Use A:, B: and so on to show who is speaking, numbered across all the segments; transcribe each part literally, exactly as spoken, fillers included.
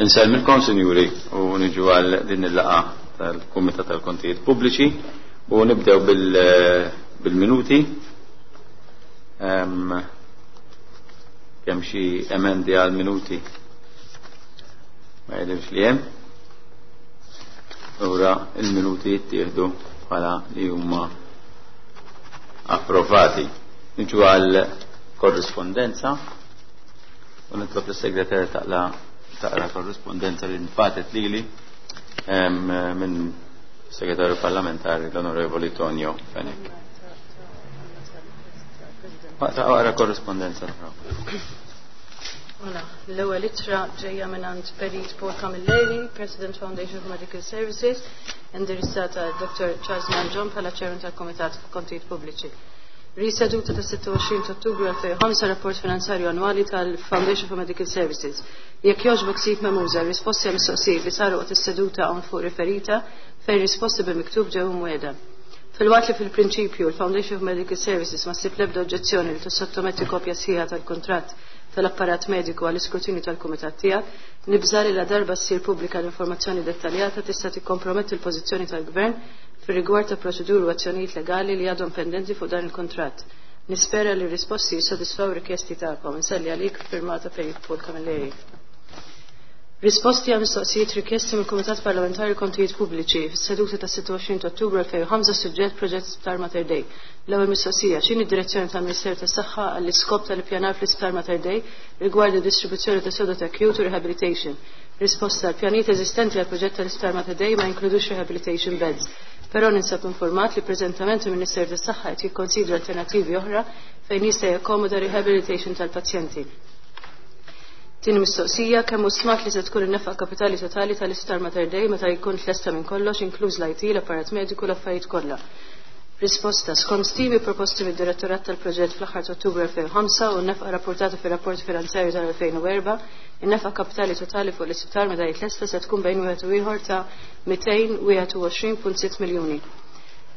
A: Insellmilkom, sinjuri, u niġu għal din il-laqgħa tal-Kumitat tal-Kontijiet Pubbliċi u nibdew bil-minuti. Kemm xi emendi għal minuti? Ma jidhirx li hemm. Ura il-minuti jittieħdu bħala li huma approvati. Niġu għal korrispondenza u nitlob lis-segretarja taqla taqra korrispondenza li nfatet lili minn segretarju parlamentari l-Onorevoli Tonio Fenech. Taqra korrispondenza.
B: Mela, l-ewwel ittra ġejja mingħand Perit Paul Camilleri, President Foundation for Medical Services, indirizzata Dottor Charles Mangion bħala Chairman tal-Komitat Kontijiet Pubbliċi. Riseduta ta' sitta u għoxrin ta' Ottubru elfejn u ħamsa, rapport finanzarju annwali tal-Foundation for Medical Services. Jekk jogħġbok sib mehmuża risposti għal mistoqsijiet li saru waqt is-seduta hawn fuq riferita, fejn risposti bil-miktub ġew imwiegħda. Filwaqt li fil-prinċipju l-Foundation for Medical Services ma ssib l-ebda oġġezzjoni li tissottometti kopja sħiħa tal-kuntratt tal-apparat mediku għall-iskrutinju tal-kumitat tiegħek, nibża' li la darba ssir pubblika l-informazzjoni dettaljata tista' tikkomprometti l-pożizzjoni tal-Gvern fir-rigward ta' proċeduri u azzjonijiet legali li għadhom pendenti fuq dan il-kuntratt. Nispera li r-risposti jissodisfaw rikjesti tagħkom. Inselli għalik, firmata Perit Paul Camilleri. Risposti għal mistoqsijiet rikjesti mill-Kumitat Parlamentari Kontijiet Pubbliċi fis-seduta ta' sitta u għoxrin ta' Ottubru elfejn u ħamsa, suġġett proġett Sptar Mater Dei. L-ewwel mistoqsija: x'inhi d-direzzjoni tal-Ministeru tas-Saħħa għall-iskop tal-ippjanar fl-Isptar Mater Dei rigward id-distribuzzjoni ta' sodod acute u rehabilitation? Risposta: l-pjanijiet eżistenti għal proġett tal-Isptar Mater Dei ma jinkludux rehabilitation beds. Però ninsab informat li preżentament il-Ministeru tas-Saħħa qed jikkonsidra alternattivi oħra fejn jista' jakkomoda rehabilitation tal-pazjenti. Tieni mistoqsija: kemm hu stmat li se tkun in-nefqa kapitali totali tal-Isptar Mater Dei meta jkun tlesta minn kollox, inkluż l-I T, l-apparat mediku, l-affarijiet kollha? Risposta: skont stimi proposti mid-Direttorat tal-Proġett fl-aħħar ta' Ottubru elfejn u ħamsa u n-nefqa rapportata fir-rapport finanzjarju tal-elfejn u erbgħa, in-nefqa kapitali totali fuq l-isptar meta jitlesta se tkun bejn wieħed u ieħor ta' mitejn u wieħed u għoxrin punt sitta miljuni.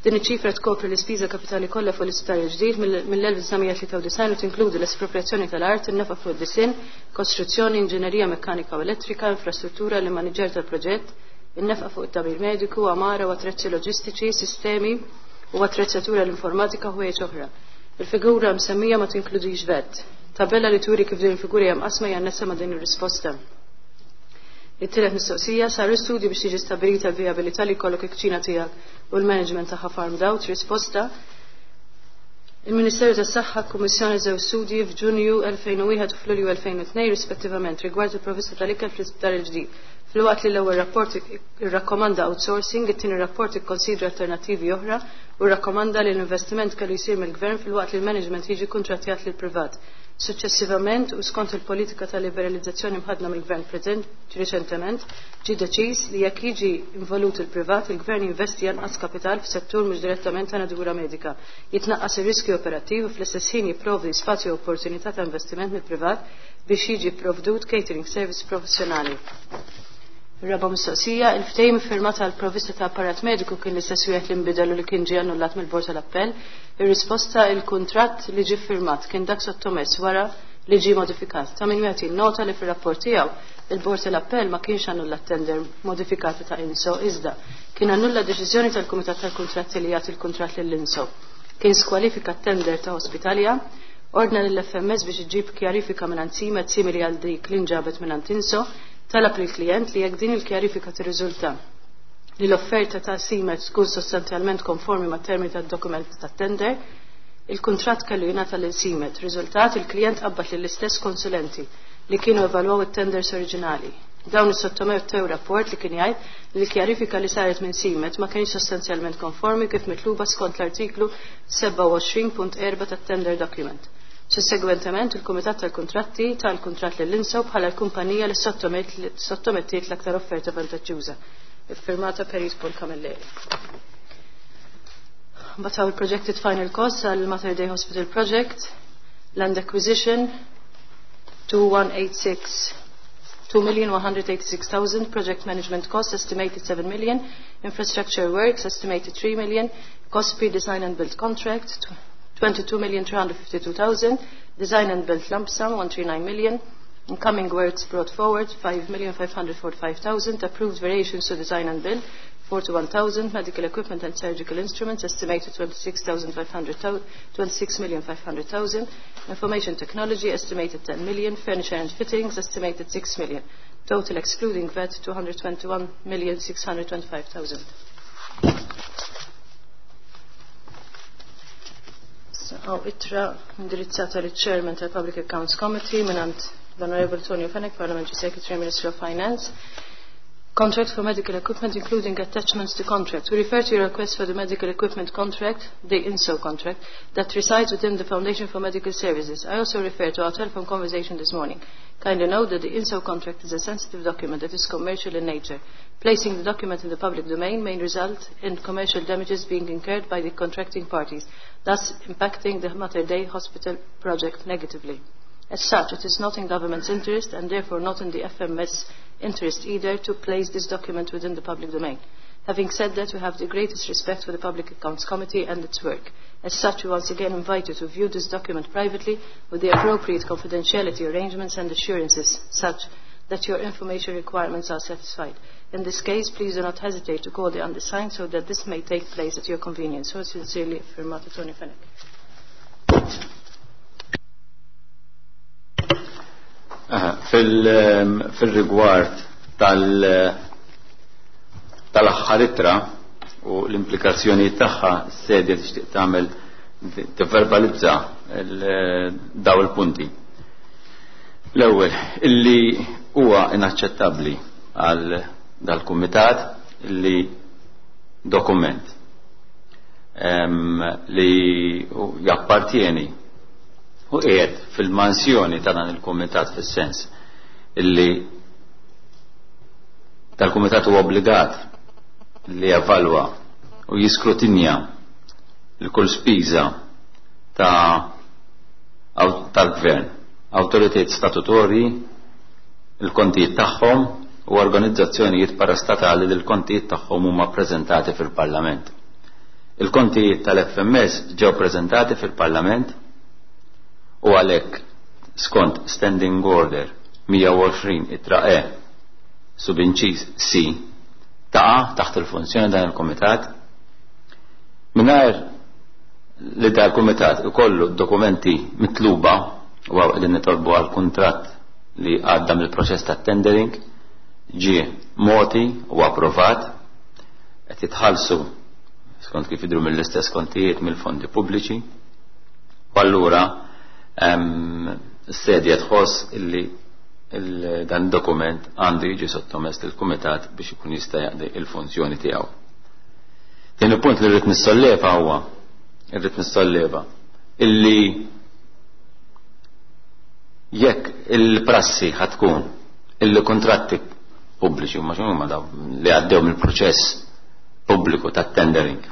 B: Din iċ-ċifra tkopri l-ispiża kapitali kollha fuq l-isptar il-ġdid mill-elf disa' mija tlieta u disgħin u tinkludi l-espropriazzjoni tal-art, in-nefqa fuq id-disinn, kostruzzjoni, inġinerija mekkanika u elettrika, infrastruttura, l-immaniġġer tal-proġett, in-nefqa fuq it-tagħmir mediku, għamara u attrezzi loġistiċi, sistemi u attrezzatura l-informatika u ħwejjeġ oħra. Il-figura msemmija ma tinkludix VAT. Tabella li turi kif din il-figura hija mqasma hija annessa ma' din ir-risposta. It-tielet mistoqsija: saru studji biex tiġi stabbilita l-vijabilità li jkollok il-kċina tiegħek u l-management tagħha farmed out? Risposta: il-Ministeru tas-Saħħa kkummissjona żewġ studji f'Ġunju elfejn u wieħed u f'Lulju elfejn u tnejn rispettivament rigward il-provvista tal-ikel fl-isptar il-ġdid. Filwaqt li l-ewwel rapport irrakkomanda outsourcing, it-tieni rapport ikkonsidra alternattivi oħra u rrakkomanda li l-investiment kellu jsir mill-gvern filwaqt li l-management jiġi kuntrattjat lil privat. Successivament u skont il-politika ta' liberalizzazzjoni mħaddna mill-gvern preżent riċentement, ġie deċiż li jekk jiġi involut il-privat, il-gvern jinvesti anqas kapital f'settur mhux direttament ta' natura medika. Jitnaqqas ir-riskju operattiv u fl-istess ħin jipprovdi spazju u opportunità ta' investiment mill-privat biex jiġi provdut catering service professjonali. Raba' mistoqsija: il-ftehim iffirmat għal provvista ta' apparat mediku kien l-istess wieħed li nbidel u li kien ġie annullat mill-Bord tal-Appell? Ir-risposta: il-kuntratt li ġie ffirmat kien dak sottomess wara li ġie modifikat. Ta' min wieħed jinnota li fir-rapport tiegħu il-Bord tal-Appell ma kienx annulla tender modifikata ta' INSO, iżda kien annulla deċiżjoni tal-Kumitat tal-Kuntratti li jagħti l-kuntratt lill-INSO. Kien skwalifika tender ta' Hospitalia, ordna lill-F M S biex iġib kjarifika minn CMED simili għal dik li nġabet minn INSO, talab lill-klient li jekk din il-kjarifika tirriżulta li l-offerta ta' CMED tkun sostanzjalment konformi ma' termini tad-dokument tat-tender, il-kuntratt kellu jingħata lil CMED. Riżultat: il-klient qabbad lill-istess konsulenti li kienu evalwaw it-tenders oriġinali. Dawn is-sottomettew rapport li kien jgħid li l-kjarifika li saret minn CMED ma kienx sostanzjalment konformi kif mitluba skont l-artiklu sebgħa u għoxrin punt erbgħa tat-tender document. Sussegwentement, il-Kumitat tal-Kuntratti tal-kuntratt lill-INSO bħala l-kumpanija li sottomettiet l-aktar offerta vantaġġuża. Iffirmata Perit Paul Camilleri. Bataw il-projected final cost għal Mater Dei Hospital Project, land acquisition two one eight six two million one hundred eighty-six thousand, project management cost estimated seven million, infrastructure works estimated three million, cost pre-design and build contract twenty-two million three hundred fifty-two thousand, design and build lump sum one hundred thirty-nine million, Incoming works brought forward, five million five hundred forty-five thousand. Approved variations to design and build, forty-one thousand. Medical equipment and surgical instruments, estimated twenty-six thousand five hundred twenty-six million five hundred thousand. Information technology, estimated ten million. Furniture and fittings, estimated six million. Total excluding V A T, two hundred twenty-one million six hundred twenty-five thousand. Għaw ittra indirizzata lill Chairman tal-Public Accounts Committee minant l-Honorable Tonio Fenech, Parliamentary Secretary, Ministry of Finance. Contract for medical equipment, including attachments to contract. We refer to your request for the medical equipment contract, the I N S O contract, that resides within the Foundation for Medical Services. I also refer to our telephone conversation this morning. Kindly note that the I N S O contract is a sensitive document that is commercial in nature. Placing the document in the public domain may result in commercial damages being incurred by the contracting parties, thus impacting the Mater Dei Hospital project negatively. As such, it is not in government's interest and therefore not in the F M S interest either to place this document within the public domain. Having said that, we have the greatest respect for the Public Accounts Committee and its work. As such, we once again invite you to view this document privately with the appropriate confidentiality arrangements and assurances such that your information requirements are satisfied. In this case, please do not hesitate to call the undersigned so that this may take place at your convenience. So sincerely, Firmata Tony Fenech.
A: Fil-rigward tal-aħħar ittra u l-implikazzjoni tagħha, s-sedja tixtieq tagħmel tivverbalizza daw il-punti. L-ewwel, illi huwa inaċċettabbli għal dal-kumitat li dokument li jappartieni u qiegħed fil-mansjoni ta' dan il-kumitat, fis-sens illi tal-kumitat huwa obbligat li jevalwa u jiskrutinja l-kull spiża ta' tal-gvern, awtoritajiet statutorji, il-kontijiet tagħhom u organizzazzjonijiet parastatali li l-kontijiet tagħhom huma ppreżentati fil-Parlament. Il-kontijiet tal-F M S ġew preżentati fil-Parlament u għalhekk skont Standing Order mija u għoxrin ittra E subinċiż C taqa' taħt il-funzjoni dan il-Kumitat mingħajr li dan il-Kumitat ikollu dokumenti mitluba u għaw qegħdin nitolbu għal kuntratt li għadda mill-proċess ta' tendering ġie moti u approvat qed jitħallsu skont kif jidhru mill-istess kontijiet mill-fondi pubbliċi. U allura s-sedja tħoss illi il-, dan dokument għandu jiġi sottomess lill-Kumitat biex ikun jista' jaqdi il-funzjoni tiegħu. Tieni punt li rrid nissolleva huwa, irrid nissolleva illi jekk il-prassi ħatkun illi kontratti pubbliċi huma x'inhu huma dawn li għaddew mill-proċess pubbliku tat-tendering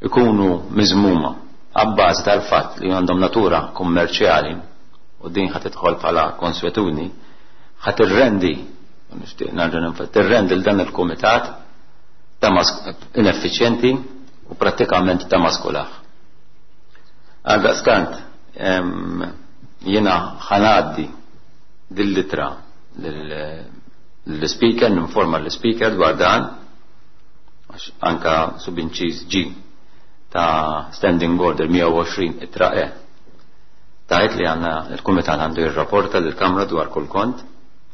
A: ikunu miżmuma għabbażi tal-fatt li għandhom natura kummerċjali u din ħad tidħol bħala konswetudni, ħad tirrendi, nixtieq nerġa' ninfa-, tirrendi l dan il-kumitat ta' ineffiċjenti u prattikament ta' maskulaħ. Għaldaqstant, em, jiena ħanaddi dil-litra lill-speaker, ninforma l-speaker dwar dan, għax anka subinċiż G ta' Standing Order mija u għoxrin ittra E tajt li għanna il-Kumitat għandu jirrapporta lill-Kamra dwar kull kont,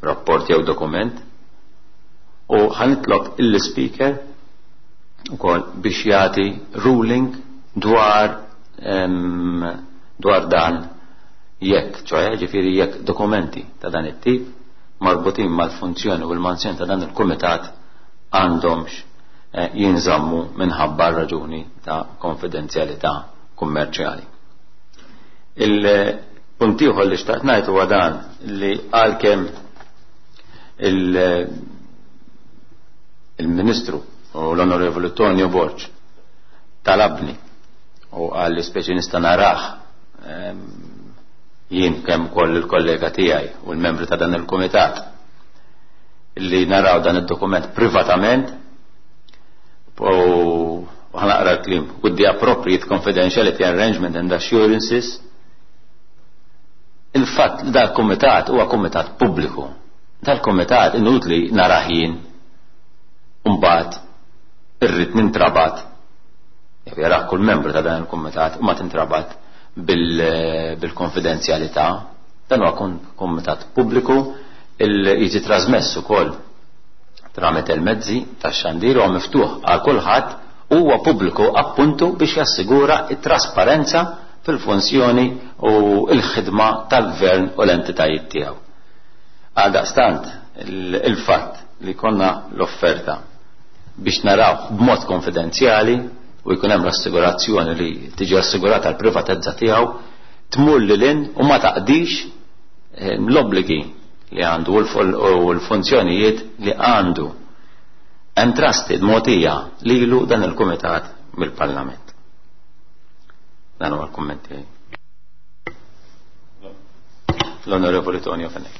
A: rapport jew dokument, u ħanitlob il-speaker ukoll biex jagħti ruling dwar, em, dwar dan jekk, ċoħe ġifieri jekk dokumenti ta' dan it-tip marbutin mal-funzjoni u l-mansjoni ta' dan il-Kumitat għandhomx, eh, jinżammu minħabba raġuni ta' konfidenzjalità kummerċjali. Il-punt ieħor li xtaqt ngħid huwa dan li għalkemm il-, il-Ministru u l-Onorevoli Tonio Borg talabni u qal li speċi nista' narah, ehm, jien kemm koll il-kollega tiegħi u l-membri ta' dan il-kumitat li naraw dan id-dokument privatament u ħanaqra l-klim with the appropriate confidentiality arrangement and assurances. Il-fatt li dal-kumitat huwa kumitat pubbliku. Dal-kumitat inutli narah jien u mbagħad irrid nintrabat, jew jarah kull membru ta' dan il-kumitat u ma tintrabat bil-konfidenzjalità. Dan huwa kumitat pubbliku, jiġi trasmess ukoll tramite il-mezzi tax-xandir, huwa miftuħ għal kulħadd, huwa pubbliku appuntu biex jassigura it-trasparenza fil-funzjoni u l-ħidma tal-gvern u l-entitajiet tiegħu. Għaldaqstant il-fatt li konna l-offerta biex naraw b'mod konfidenzjali u jkun hemm l-assigurazzjoni li tiġi assigurata l-privatezza tiegħu tmur lil hinn u ma taqdix eh, l-obbligi li għandu u l-funzjonijiet li għandu entrusted mogħtija lilu dan il-kumitat mill-Parlament. Dan huwa l-kumment tiegħi. L-Onorevoli Tonio Fenech.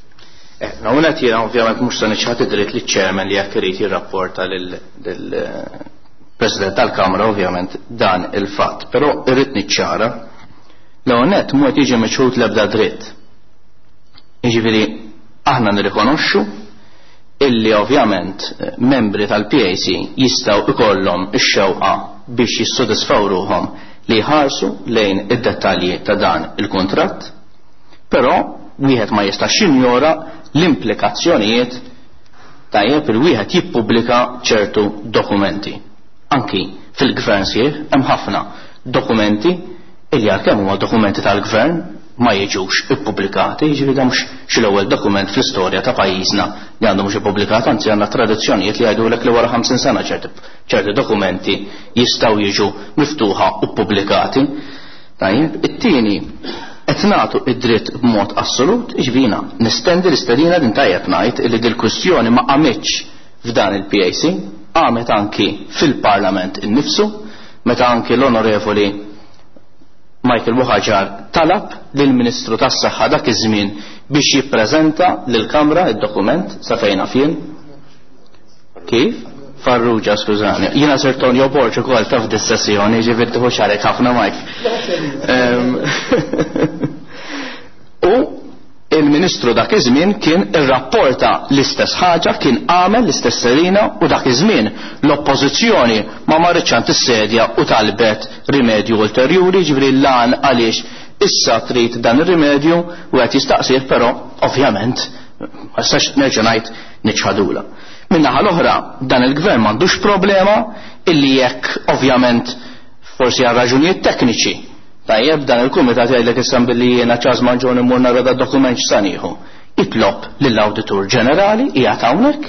C: Eh, Nawnet jiena ovvjament mhux se niċħad id-dritt li chairman li jekk irid jirrapporta lill-President tal-Kamra ovvjament dan il-fatt, però irrid niċċara l-għonet mhu qed jiġi miċħud l-ebda dritt. Jiġifieri aħna nirrikonoxxu illi ovvjament eh, membri tal-P A C jistgħu ikollhom ix-xewqa biex jissodisfaw ruħhom li jħarsu lejn id-dettalji ta' dan il-kuntratt, però wieħed ma jistax jinjora l-implikazzjonijiet tajjeb il wieħed jippubblika ċertu dokumenti. Anki fil-gvern sieħ hemm ħafna dokumenti illi għalkemm huma dokumenti tal-gvern ma jiġux ippubblikati, jiġifieri dan mhux xi l-ewwel dokument fl-istorja ta' pajjiżna li għandu mhux ippubblikat, anzi għandna tradizzjonijiet li jgħidulek li wara ħamsin sena ċerti, ċerti dokumenti jistgħu jiġu miftuħa u ppubblikati. Tajjeb, it-tieni qed nagħtu id-dritt b'mod assolut, jiġifieri nistendi l-istedina din tajjeb ngħid li dil-kwistjoni ma qamitx f'dan il-P A C, qamet anki fil-Parlament innifsu, meta anki l-Onorevoli Michael Buhagiar talab lill-Ministru tas-Saħħa dak iż-żmien biex jippreżenta lill-Kamra id-dokument sa fejn fien. Kif? Farrugia, skużani. Jiena Sir Tonio Borg ukoll taf dis-sessjoni, ġifieri tieħu xarek ħafna Mike. Ehm, u il-Ministru dak iż-żmien kien irrapporta l-istess ħaġa, kien għamel l-istess serina u dak iż-żmien l-oppożizzjoni ma marritx għand is-sedja u talbet rimedju ulterjuri, ġifieri l-għan għaliex issa trid dan ir-rimedju u qed jistaqsih, però ovvjament ma nistax nerġa' ngħid niċħadula. Min-naħa l-oħra dan il-gvern m'għandux problema illi jekk ovvjament forsi għal raġunijiet tekniċi tajjeb dan il-kumitat jgħidlek issa billi jiena Charles Mangion immur nara da dokument x'sa nieħu. Jitlob lill-Awditur Ġenerali qiegħed hawnhekk,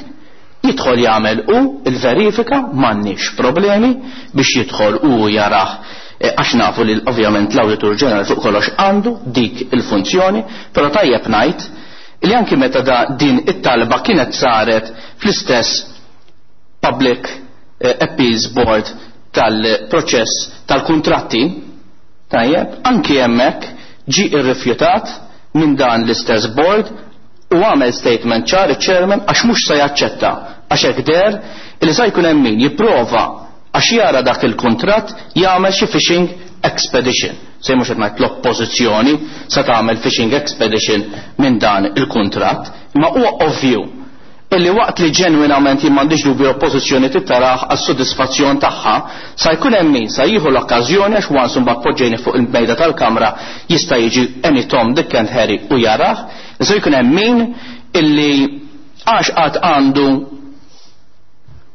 C: jidħol jagħmel u il-verifika, m'għandniex problemi biex jidħol u jarah, eh, għax nafu li ovvjament l-Awditur Ġenerali fuq kollox għandu dik il-funzjoni, però tajjeb ngħid li anki meta da din it-talba kienet saret fl-istess Public eh, Appeals Board tal-proċess tal-kontratti, tajjeb, anki hemmhekk ġi irrifjutat minn dan l-istess board u għamel statement ċar iċ-chairman għax mhux se jaċċetta, għax hekk deher li sa jkun hemm min jipprova għax jara dak il-kuntratt jagħmel xi fishing expedition. Se mhux qed ngħid l-oppożizzjoni sa tagħmel fishing expedition minn dan il-kuntratt, imma huwa ovvju illi waqt li ġenwinament jien m'għandix dubju l-oppożizzjoni tittaraħ għas-sodisfazzjon tagħha, sa jkun hemm min sa jieħu l-okkażjoni għax once imbagħad poġġejni fuq il-mejda tal-kamra jista' jiġi any Tom, Dick and Harry u jarah, sa jkun hemm min illi għax qatt għandu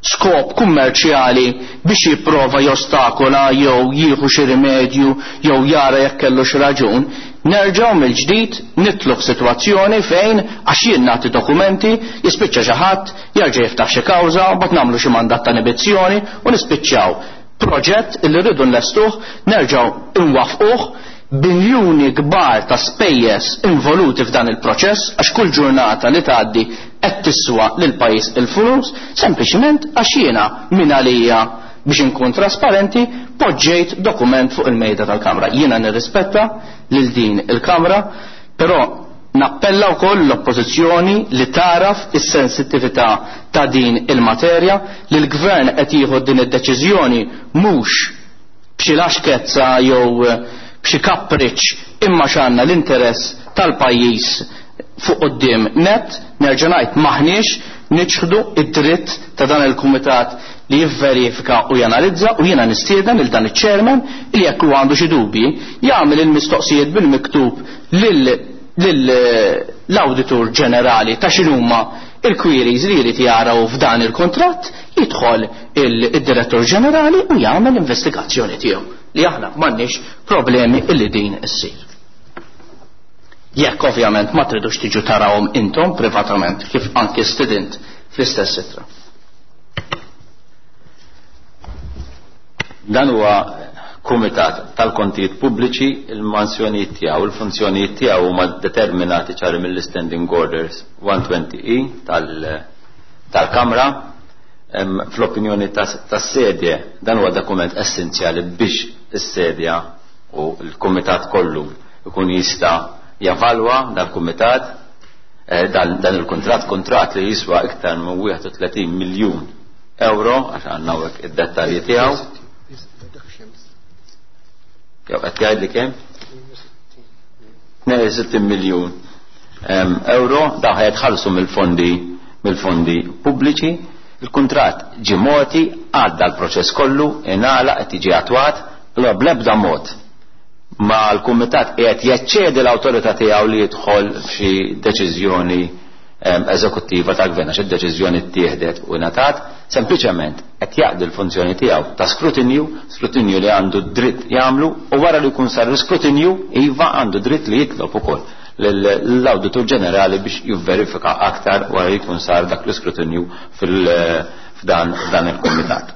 C: skop kummerċjali biex jipprova jostakola jew jieħu xi rimedju jew jara jekk kellu xi raġun, nerġgħu mill-ġdid nitlu f'sitwazzjoni fejn għax jien nagħti dokumenti jispiċċa xi ħadd jerġa' jiftaħ xi kawża, mbagħad nagħmlu xi mandat ta' inibizzjoni u nispiċċaw proġett illi rridu nlestuh nerġgħu nwaffquh biljuni kbar ta' spejjeż involuti f'dan il-proċess għax kull ġurnata li tgħaddi qed tiswa lil pajjiż il-flus sempliċiment għax jiena min għalija biex inkun trasparenti poġġejt dokument fuq il-mejda tal-Kamra. Jiena nirrispetta lil din il-Kamra, però nappella wkoll l-oppożizzjoni li taraf is-sensittività ta' din il-materja li l-gvern qed jieħu din id-deċiżjoni mhux b'xi laxkezza jew b'xi kapriċ imma x'għandna l-interess tal-pajjiż fuq quddiem net. Nerġa' ngħid maħniex niċħdu id-dritt ta' dan il-kumitat li jivverifika u janalizza, u jiena nistieden lil dan iċ-chairman li jekk huwa għandu xi dubji jagħmel il-mistoqsijiet bil-miktub lill-Awditur Ġenerali ta' x'inhuma il-queries li jrid jaraw f'dan il-kontratt, jidħol id-Direttur Ġenerali u jagħmel investigazzjoni tiegħu li aħna m'għandniex problemi illi din issir. Jekk ovvjament ma tridux tiġu tarawhom intom privatament kif anki student fl-istess ittra.
A: Dan huwa kumitat tal-kontijiet pubbliċi, il-mansjonijiet tiegħu, il-funzjonijiet tiegħu huma determinati ċari mill-Standing Orders one twenty E tal-Kamra. Fl-opinjoni tas-sedje dan huwa dokument essenzjali biex is-sedja u l-kumitat kollu ikun jista' javalwa dal-kumitat, dan il-kuntratt, kuntratt li jiswa iktar minn wieħed u tletin miljun euro, għax għandna hawnhekk id-dettalji tiegħu. Jew qed jgħidli kemm? tnejn u sittin miljun euro, dawn ħajtħallsu mill-fondi, mill-fondi pubbliċi. Il-kuntratt ġie mogħti, għadda l-proċess kollu, ingħalaq, qed jiġi attwat, allura bl-ebda mod ma l-kumitat qiegħed jaċċedi l-awtorità tiegħu li jidħol f'xi deċiżjoni eżekuttiva tal-gvern, għax id-deċiżjoni ttieħdet u ngħatat, sempliċement qed jaqdi l-funzjoni tiegħu ta' skrutinju, skrutinju li għandu dritt jagħmlu, u wara li jkun sar l-iskrutinju, iva għandu dritt li jitlob ukoll l-Awditur Ġenerali biex jivverifika aktar wara li jkun sar dak l-iskrutinju fil-, f'dan, f'dan il-kumitat.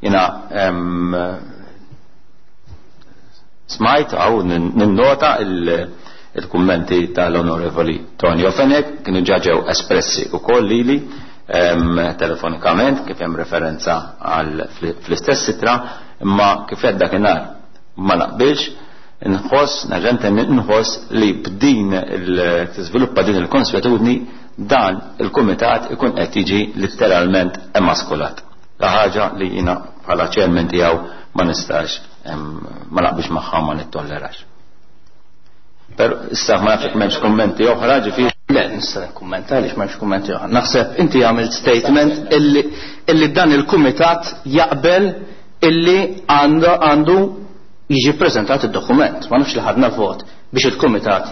A: Jiena, em, smajt għaw ninnota il-, il-kummenti tal-Onorevoli Tonio Fenech, kienu ġa ġew espressi u koll lili, em, telefonikament, kif hemm referenza għal fl-istess sitra, imma kif għed dakinhar ma naqbilx, nħoss, nerġa' ntenni, nħoss li b'din il-, tiżviluppa din il-konswetudni, dan il-kumitat ikun qed jiġi letteralment emaskulat. La ħaġa li jiena bħala chairman tiegħu ma nistax, em, ma naqbilx magħha, ma nittollerax. Però issa ma nafx m'hemmx kummenti oħra, ġifieri.
C: Le, nista' nikkummenta għaliex m'hemmx kummenti oħra. Naħseb inti għamilt statement illi, illi dan il-kumitat jaqbel illi għandu, għandu jiġi ppreżentat id-dokument. Ma nafx li ħadna vot biex il-kumitat,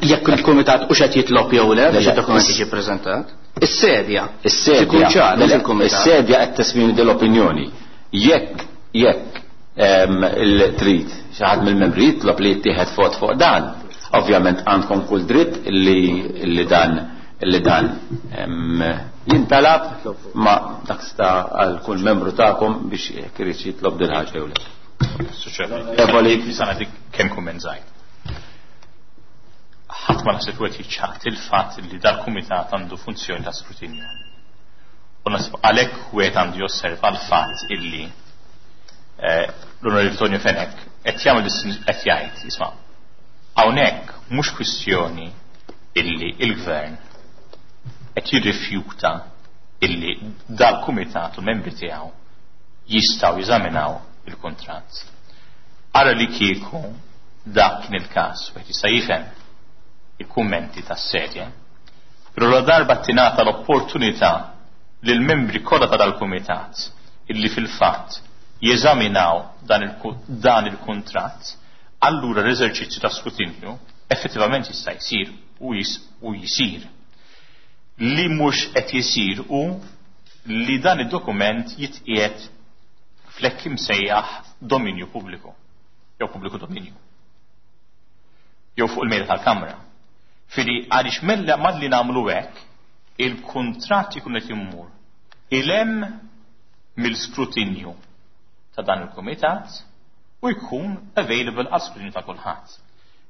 C: jekk il-kumitat u x'qed jitlob jew le biex id-dokument jiġi ppreżentat. Is-sedja.
A: Is-sedja.
C: Ikun ċar, mhux
A: Le,
C: il-kumitat.
A: Is-sedja qed tesprimi din l-opinjoni. Jekk, jekk, em, il-trid xi ħadd mill-membri jitlob li jittieħed vot fuq dan, ovvjament għandkom kull dritt li, li dan, li dan, em, jintalab, ma dak sta għal kull membru tagħkom biex jekk irid jitlob din ħaġa jew le.
D: Evoli, nagħtik kemm kumment żgħir. Ħadd ma naħseb wieħed jiċċaħt il-fatt li dal-kumitat għandu funzjoni ta' skrutinju. U naħseb għalhekk wieħed għandu josserva l-fatt illi, eh, l-Onorevoli Tonio Fenech qed jagħmel distin-, qed jgħid, isma' hawnhekk mhux kwistjoni illi il-gvern qed jirrifjuta illi dal-kumitat u membri tiegħu jistgħu jeżaminaw il-kuntratt. Ara li kieku dak kien il-każ, wieħed jista' jifhem il-kummenti tas-sedje, però la darba tingħata l-opportunità lil membri kollha ta' dal-kumitat illi fil-fatt jeżaminaw dan il-ku-, dan il-kuntratt, allura l-eżerċizzju ta' skrutinju effettivament jista' jsir u jis-, u jsir. Li mhux qed jsir hu li dan id-dokument jitqiegħed flekk imsejjaħ dominju pubbliku jew pubbliku dominju jew fuq il-mejda tal-Kamra. Fili għaliex mella malli nagħmlu hekk, il-kuntratt ikun qed immur ilem mill-skrutinju ta' dan il-kumitat u jkun available għal skrutinju ta' kulħadd.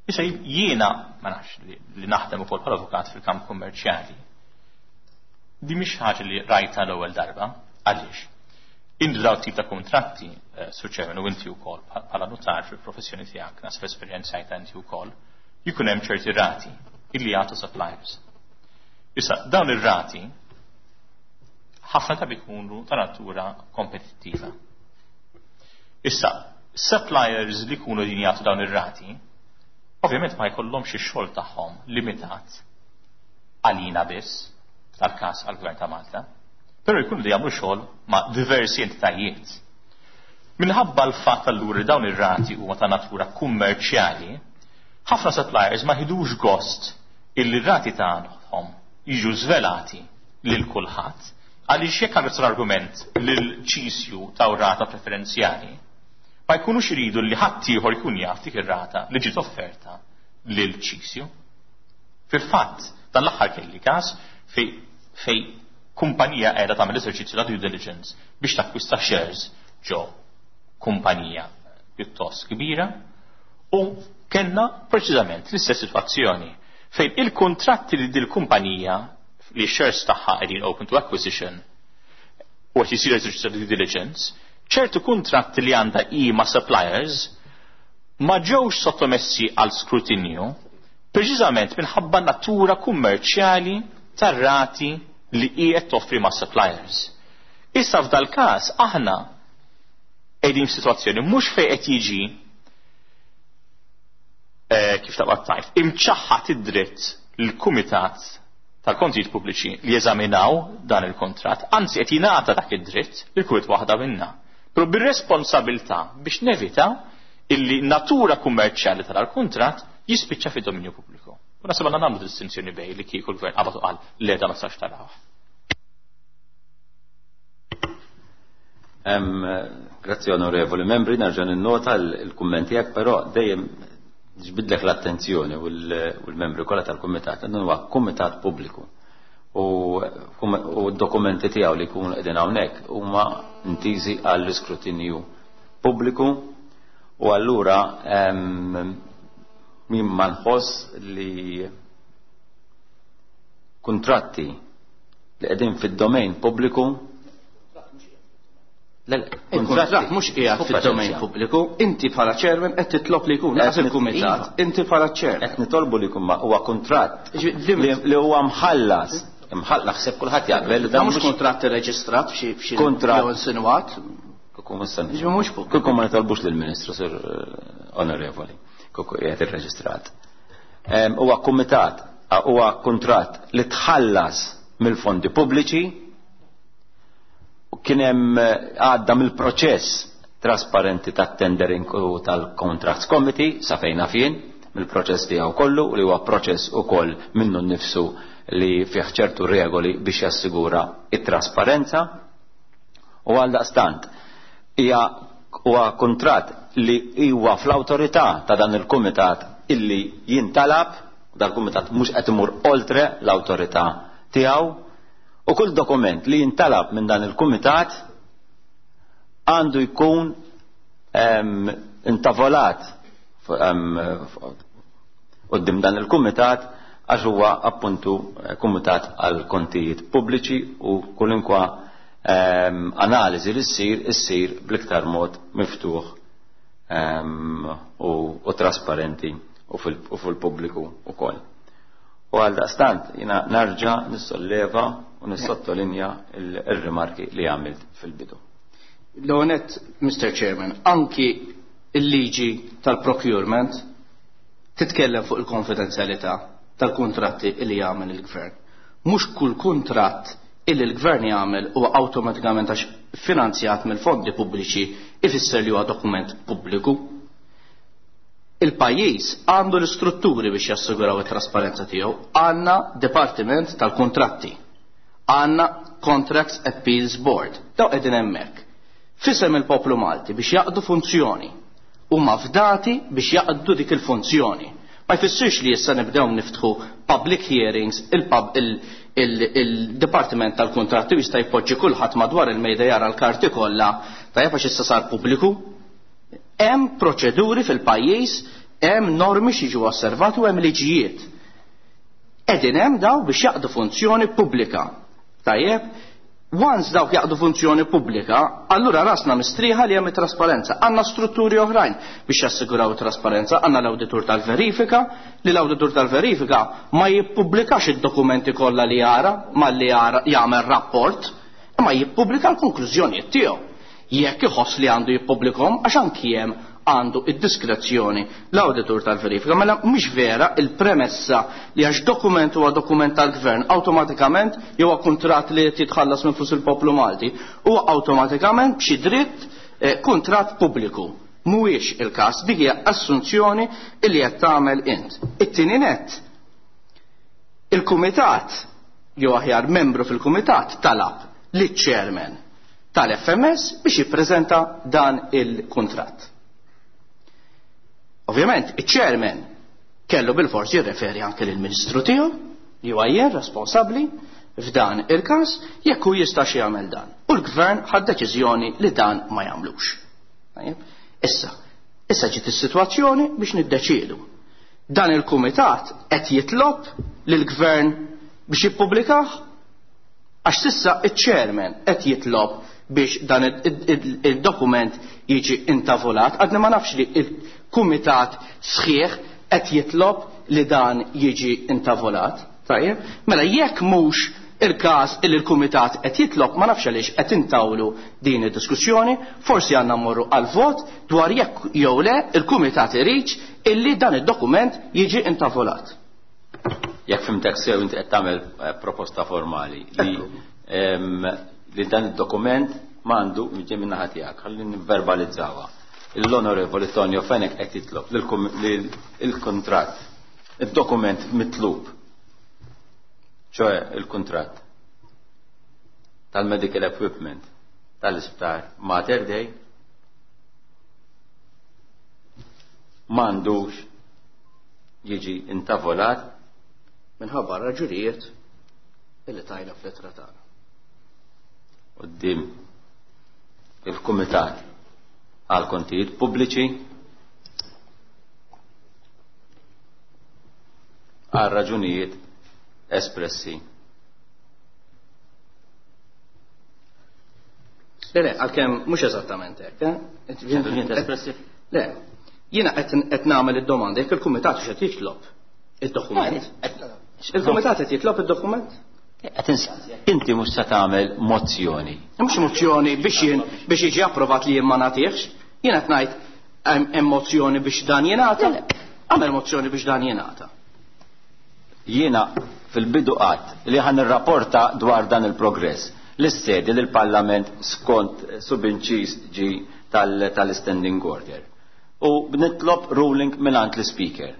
D: Issa jiena ma nafx li, li naħdem ukoll bħala avukat fil-kamp kummerċjali. Di mhix ħaġa li rajta l-ewwel darba, għaliex? Indu daw tip ta' kontratti, eh, Sur Chairman, u inti wkoll bħala notar fil-professjoni tiegħek, nas fl-esperjenza inti wkoll, jkun hemm ċerti rati illi jagħtu suppliers. Issa dawn ir-rati ħafna ta' ikunu ta' natura kompetittiva. Issa, suppliers li jkunu din jagħtu dawn ir-rati Ovvjament ma jkollhomx ix-xogħol tagħhom limitat għalina biss, tal-każ għall-Gvern ta' Malta, però jkunu li jagħmlu xogħol ma' diversi entitajiet. Minħabba l-fatt allura li dawn ir-rati huma ta' natura kummerċjali, ħafna suppliers ma ħidux gost illi r-rati tagħhom jiġu żvelati lil kulħadd, għaliex jekk għandek l-argument lil C S U ta' rata preferenzjali, ma jkunux iridu li ħadd ieħor jkun jaf dik ir-rata li ġiet offerta lil C S U. Fil-fatt, dan l-aħħar kelli każ fej fej kumpanija qiegħda tagħmel eżerċizzju ta' due diligence biex takkwista shares ġo kumpanija pjuttost kbira u kellna preċiżament l-istess sitwazzjoni fejn il-kontratti li dil-kumpanija li shares tagħha qegħdin open to acquisition u qed jisir eżerċizzju ta' due diligence, ċertu kontratti li għandha i ma' suppliers ma ġewx sottomessi għal skrutinju preċiżament minħabba natura kummerċjali tar-rati li qiegħed toffri ma' suppliers. Issa f'dal każ aħna qegħdin f'sitwazzjoni mhux fejn qed jiġi eh, kif taqbad tajt, imċaħħat id-dritt l-Kumitat tal-Kontijiet Pubbliċi li jeżaminaw dan il-kontratt, anzi qed jingħata dak id-dritt lil kull waħda minna. Però bir-responsabilità biex nevita illi natura kummerċjali tal-kontratt jispiċċa fid-dominju pubbliku. U naħseb għandna nagħmlu distinzjoni bejn li kieku l-gvern qabad u qal le, da ma tistax taraw.
A: Em, Grazzi, onorevoli membri, nerġa' ninnota l-kumment tiegħek, però dejjem ġbidlek l-attenzjoni u l-membri kollha tal-kumitat, dan huwa kumitat pubbliku. U u d-dokumenti tiegħu li jkunu qegħdin hawnhekk huma intiżi għall-iskrutinju pubbliku u allura em, min ma nħoss li kuntratti li qegħdin fid-domain pubbliku. Le, le,
C: Il-kuntratt mhux qiegħed fid-domain pubbliku, inti bħala chairman qed titlob li jkun laqas
A: Qed
C: il-kumitat,
A: iva.
C: Inti bħala chairman.
A: Qed nitolbu li jkun ma- huwa kuntratt
C: Ġi-
A: li li huwa mħallas. Imħallas, naħseb kulħadd jaqbel li
C: Dan
A: dan
C: mhux kuntratt irreġistrat f'xi f'xi
A: Kuntratt.
C: jew insinwat.
A: Kieku mhux se-
C: Ġi mhux pubbliku.
A: Kieku ma nitolbux lill-Ministru, Sur eh, Onorevoli, kieku qiegħed irreġistrat. Em, Huwa kumitat, huwa kuntratt li tħallas mill-fondi pubbliċi u kien hemm eh, għadda mill-proċess trasparenti tat-tendering u tal-Contracts Committee sa fejn fien mill-proċess tiegħu kollu u li huwa proċess ukoll minnu nnifsu li fih ċertu regoli biex jassigura it-trasparenza. U għal daqstant hija huwa kuntratt li huwa fl-awtorità ta' dan il-kumitat illi jintalab. Dal-kumitat mhux qed imur oltre l-awtorità tiegħu u kull dokument li jintalab minn dan il-kumitat għandu jkun em, intavolat em, quddiem dan il-kumitat għax huwa appuntu eh, kumitat għal kontijiet pubbliċi u kwalunkwe em, analiżi li ssir issir bl-iktar mod miftuħ em, u, u trasparenti u fil- u fil-pubbliku ukoll. U għal daqstant jina narġa nissolleva u nissottolinja il-rimarki li għamilt fil-bidu.
C: L-onet, Mister Chairman, anki il-liġi tal-procurement titkellem fuq il-konfidenzjalità tal-kontratti li jagħmel il-gvern. Mhux kull kuntratt illi l-gvern jagħmel huwa awtomatikament, għax finanzjat mill-fondi pubbliċi, ifisser li huwa dokument pubbliku. Il-pajjiż għandu l-istrutturi biex jassiguraw it-trasparenza tiegħu. Għandna Dipartiment tal-Kontratti. Għandna Contracts Appeals Board. Daw qegħdin hemmhekk f'isem il-poplu Malti biex jaqdu funzjoni. Huma fdati biex jaqdu dik il-funzjoni. Ma jfissirx li issa nibdew niftħu public hearings, il-pub il-Dipartiment tal-Kontratti jista' jpoġġi kulħadd madwar il-mejda jara l-karti kollha, tajjeb, għax issa sar pubbliku. Hemm proċeduri fil-pajjiż, hemm normi xi osservati u hemm liġijiet. Qegħdin hemm daw biex jaqdu funzjoni pubblika. Tajjeb, once dawk jaqdu funzjoni pubblika, allura rasna mistrieħa li hemm trasparenza. Għandna strutturi oħrajn biex jassiguraw trasparenza, għandna l-awditur tal-verifika, li l-awditur tal-verifika ma jippubblikax id-dokumenti kollha li jara, malli jara jagħmel rapport, imma jippubblika l-konklużjonijiet tiegħu. Jekk iħoss li għandu jippubblikhom, għax anki hemm għandu id-diskrezzjoni l-awditur tal-verifika. Mela mhux vera il-premessa li għax dokument huwa dokument tal-gvern awtomatikament jew kuntratt li qed jitħallas minn flus il-poplu Malti huwa awtomatikament b'xi dritt eh, kuntratt pubbliku. Mhuwiex il-każ, dik hija assunzjoni li qed tagħmel int. It-tieni nett, il-kumitat jew aħjar membru fil-kumitat talab liċ-chairman tal-F M S biex jippreżenta dan il-kuntratt. Ovvjament, iċ-chairman kellu bil-fors jirreferi anke lill-ministru tiegħu li huwa jien responsabbli f'dan il-każ jekk hu jistax jagħmel dan. U l-gvern ħad deċiżjoni li dan ma jagħmlux. Tajjeb? Issa, issa ġiet is-sitwazzjoni biex niddeċiedu. Dan il-kumitat qed jitlob lill-gvern biex jippubblikah għax sissa iċ-chairman qed jitlob biex dan il-dokument jiġi intavolat. Għadni ma nafx li il-kumitat sħiħ qed jitlob li dan jiġi intavolat. Tajjeb? Mela jekk mhux il-każ li l-kumitat qed jitlob, ma nafx għaliex qed intawlu din id-diskussjoni, forsi għandna mmorru għal vot dwar jekk jew le il-kumitat irid illi dan id-dokument jiġi intavolat.
A: Jekk fimtek sew inti qed tagħmel proposta formali li li dan id-dokument m'għandu jiġi minn naħa tiegħek, ħalli nivverbalizzawha. L-Onorevoli Tonio Fenech qed jitlob li l-kuntratt, id-dokument mitlub, ċoe il-kuntratt tal-medical equipment tal-isptar Mater Dei m'għandux jiġi intavolat
C: minħabba raġunijiet illi tajna fl-ittra tagħna.
A: Quddiem il-Kumitat għal Kontijiet Pubbliċi għal raġunijiet espressi.
C: Le, le, għalkemm mhux eżattament hekk, eh?
A: Raġunijiet espressi?
C: Le, jiena qed nagħmel id-domanda jekk il-Kumitat x'qed jitlob id-dokument. Il-Kumitat qed jitlob id-dokument?
A: Qed insaqsi, inti mhux se tagħmel mozzjoni.
C: Mhux mozzjoni biex jien biex jiġi approvat li jien ma nagħtihx. Jien qed ngħid hemm mozzjoni biex dan jingħata. Għamel mozzjoni biex dan jingħata.
A: Jiena fil-bidu qatt li ħan nirrapporta dwar dan il-progress l-sedi lill-Parlament skont subinċis ġi tal-standing order. U nitlob ruling mingħand l-Speaker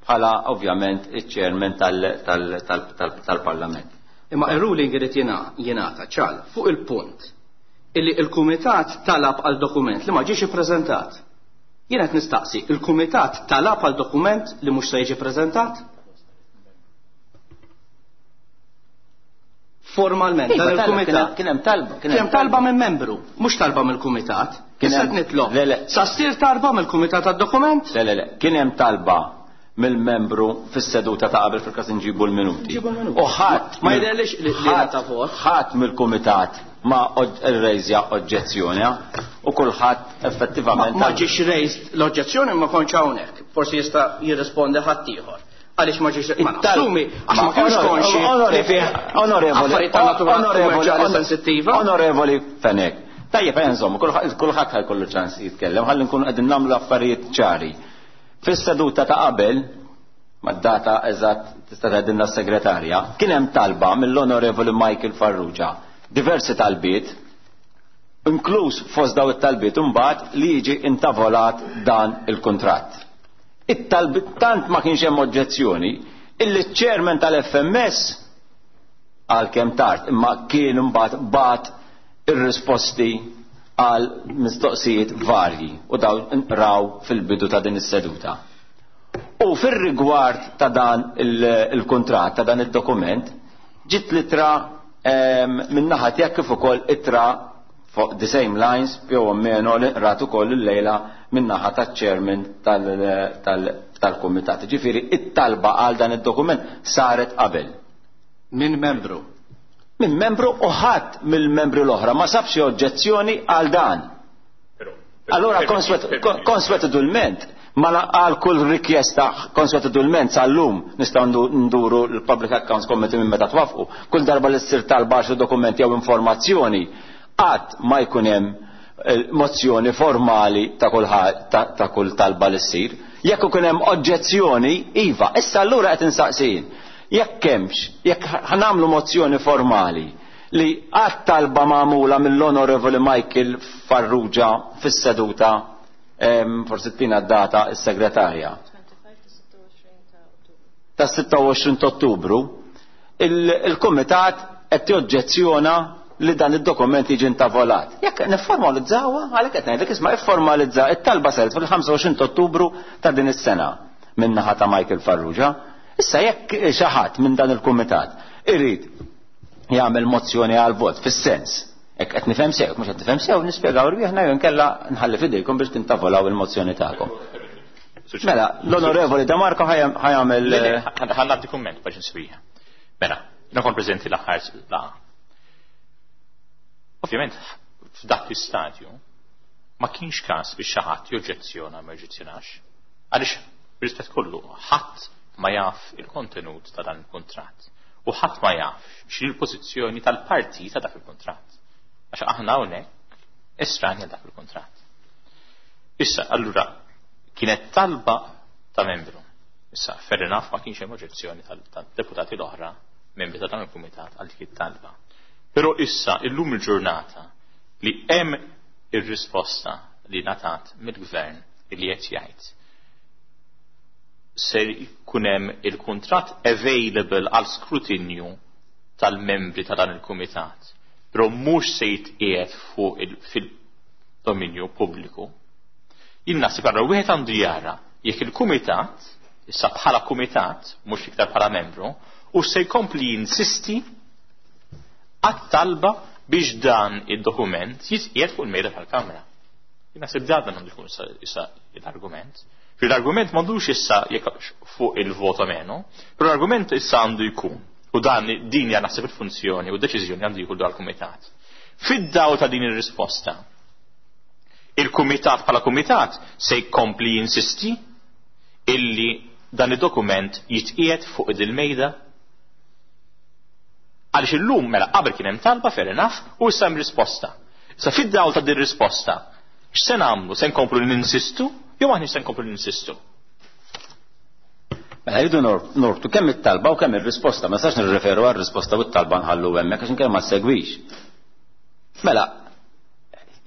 A: bħala ovvjament iċ-chairman tal-Parlament.
C: Imma il-ruling irid jingħata ċal fuq il-punt illi il-Kumitat talab għal dokument li ma ġiex ippreżentat. Jien qed nistaqsi, il-Kumitat talab għal dokument li mhux se jiġi ppreżentat? Formalment, dan il-Kumitat
A: kien hemm talba,
C: kien hemm talba minn membru, mhux talba mill-Kumitat. Kien qed nitlob. Sa ssir talba mill-Kumitat għad-dokument?
A: Le, le, le, kien hemm talba mill-membru fis-seduta ta' qabel fil-każ inġibu l-minuti. U ħadd
C: ma jidherlix li ta' vot.
A: Ħadd mill-kumitat ma rrejżja oġġezzjoni u kulħadd effettivament
C: ma ġiex raised l-oġġezzjoni ma kontx hawnhekk. Forsi jista' jirrispondi ħadd ieħor. Għaliex ma ġiex ma nassumi għax ma kienx konxi
A: onorevoli
C: onorevoli sensittiva.
A: Onorevoli Fenech. Tajjeb insomma, kulħadd ħajkollu ċans jitkellem, ħalli nkunu qegħdin nagħmlu affarijiet ċari. Fis-seduta ta' qabel, mad-data eżatt tista' tgħidilna s-segretarja, kien hemm talba mill-Onorevoli Michael Farrugia, diversi talbiet, inkluż fost daw it-talbiet imbagħad li jiġi intavolat dan il-kuntratt. It-talbiet tant ma kienx hemm oġġezzjoni illi ċ-chairman tal-F M S għalkemm tard imma kien imbagħad bat ir-risposti għal mistoqsijiet varji u dawn nqraw fil-bidu ta' din is-seduta. U fir-rigward ta' dan il-kuntratt, ta' dan id-dokument, ġiet litra min-naħa tiegħek kif ukoll ittra fuq the same lines più o meno li nqrat ukoll illejla min-naħa taċ-chairman tal-kumitat. Ġifieri it-talba għal dan id-dokument saret qabel.
C: Min membru?
A: Minn membru u ħadd mill-membri l-oħra ma sabx oġġezzjoni għal dan. Allora konswetudulment ma għal kull rikjesta konswetudulment sal-lum nistgħu nduru l-Public Accounts Committee minn meta twafqu. Kull darba li ssir talba xi dokumenti jew informazzjoni qatt ma jkun hemm mozzjoni formali ta' kull ta' kull talba li ssir. Jekk ikun hemm oġġezzjoni, iva, issa allura qed insaqsin. Jekk hemmx, jekk ħanamlu mozzjoni formali li għat talba magħmula mill-Onorevoli Michael Farrugia fis-seduta, forsi tina d-data s-segretarja. Ta' sitta u għoxrin ta' Ottubru, il-Kumitat qed joġġezzjona li dan id-dokument jiġi intavolat. Jekk nifformalizzawha, għalhekk qed ngħidlek isma' ifformalizza it-talba saret fil-ħamsa u għoxrin ta' Ottubru ta' din is-sena min-naħa ta' Michael Farrugia. Issa jekk xi ħadd minn dan il-kumitat irid jagħmel mozzjoni għal vot fis-sens, jekk qed nifhem sew, mhux qed nifhem sew, nispjegaw rwieħna jew inkella nħalli f'idejkom biex tintavolaw il-mozzjoni tagħkom. Mela, l-Onorevoli De Marco ħajamel.
D: Ħallati kumment biex nswija. Mela, jiena kont preżenti l-aħħar laqgħa. Ovvjament, f'dak l-istadju ma kienx każ biex xi ħadd joġġezzjona ma joġġezzjonax. Għaliex b'rispett kollu ħadd ma jaf il-kontenut ta' dan il-kuntratt u ħadd ma jaf x'inhi l-pożizzjoni tal-parti ta' dak il-kuntratt. Għax aħna hawnhekk estranja dak il-kuntratt. Issa, allura, kienet talba ta' membru. Issa, fair enough, ma kienx hemm oġġezzjoni tal-deputati l-oħra, membri ta' dan il-kumitat għal dik it-talba. Però issa, illum il-ġurnata li hemm ir-risposta li ngħatat mill-gvern li qed jgħid ser jkun hemm il-kuntratt available għal skrutinju tal-membri ta' dan il-kumitat, però mhux se jitqiegħed fuq fil-dominju pubbliku. Jien naħseb allura wieħed għandu jara jekk il-kumitat, issa bħala kumitat, mhux iktar bħala membru, u se jkompli jinsisti għat-talba biex dan id-dokument jitqiegħed fuq il-mejda tal-Kamra. Jien naħseb dan għandu jkun issa l-argument. L-argument m'għandux issa jekk fuq il-voto meno, però l-argument issa għandu jkun, u dan din hija naħseb il-funzjoni u d-deċiżjoni għandu jkun dwar kumitat. Fid-dawl ta' din ir-risposta, il-kumitat bħala kumitat se jkompli jinsisti illi dan id-dokument jitqiegħed fuq il-mejda. Għaliex illum mela qabel kien hemm talba fair enough u issa hemm risposta. Issa fid-dawl ta' din risposta, x'se nagħmlu? Se nkomplu ninsistu jew aħna se nkomplu ninsistu?
A: Mela rridu nortu kemm it-talba u kemm ir-risposta, ma nistax nirreferu għar-risposta u t-talba nħallu hemmhekk għax inkella ma ssegwix. Mela,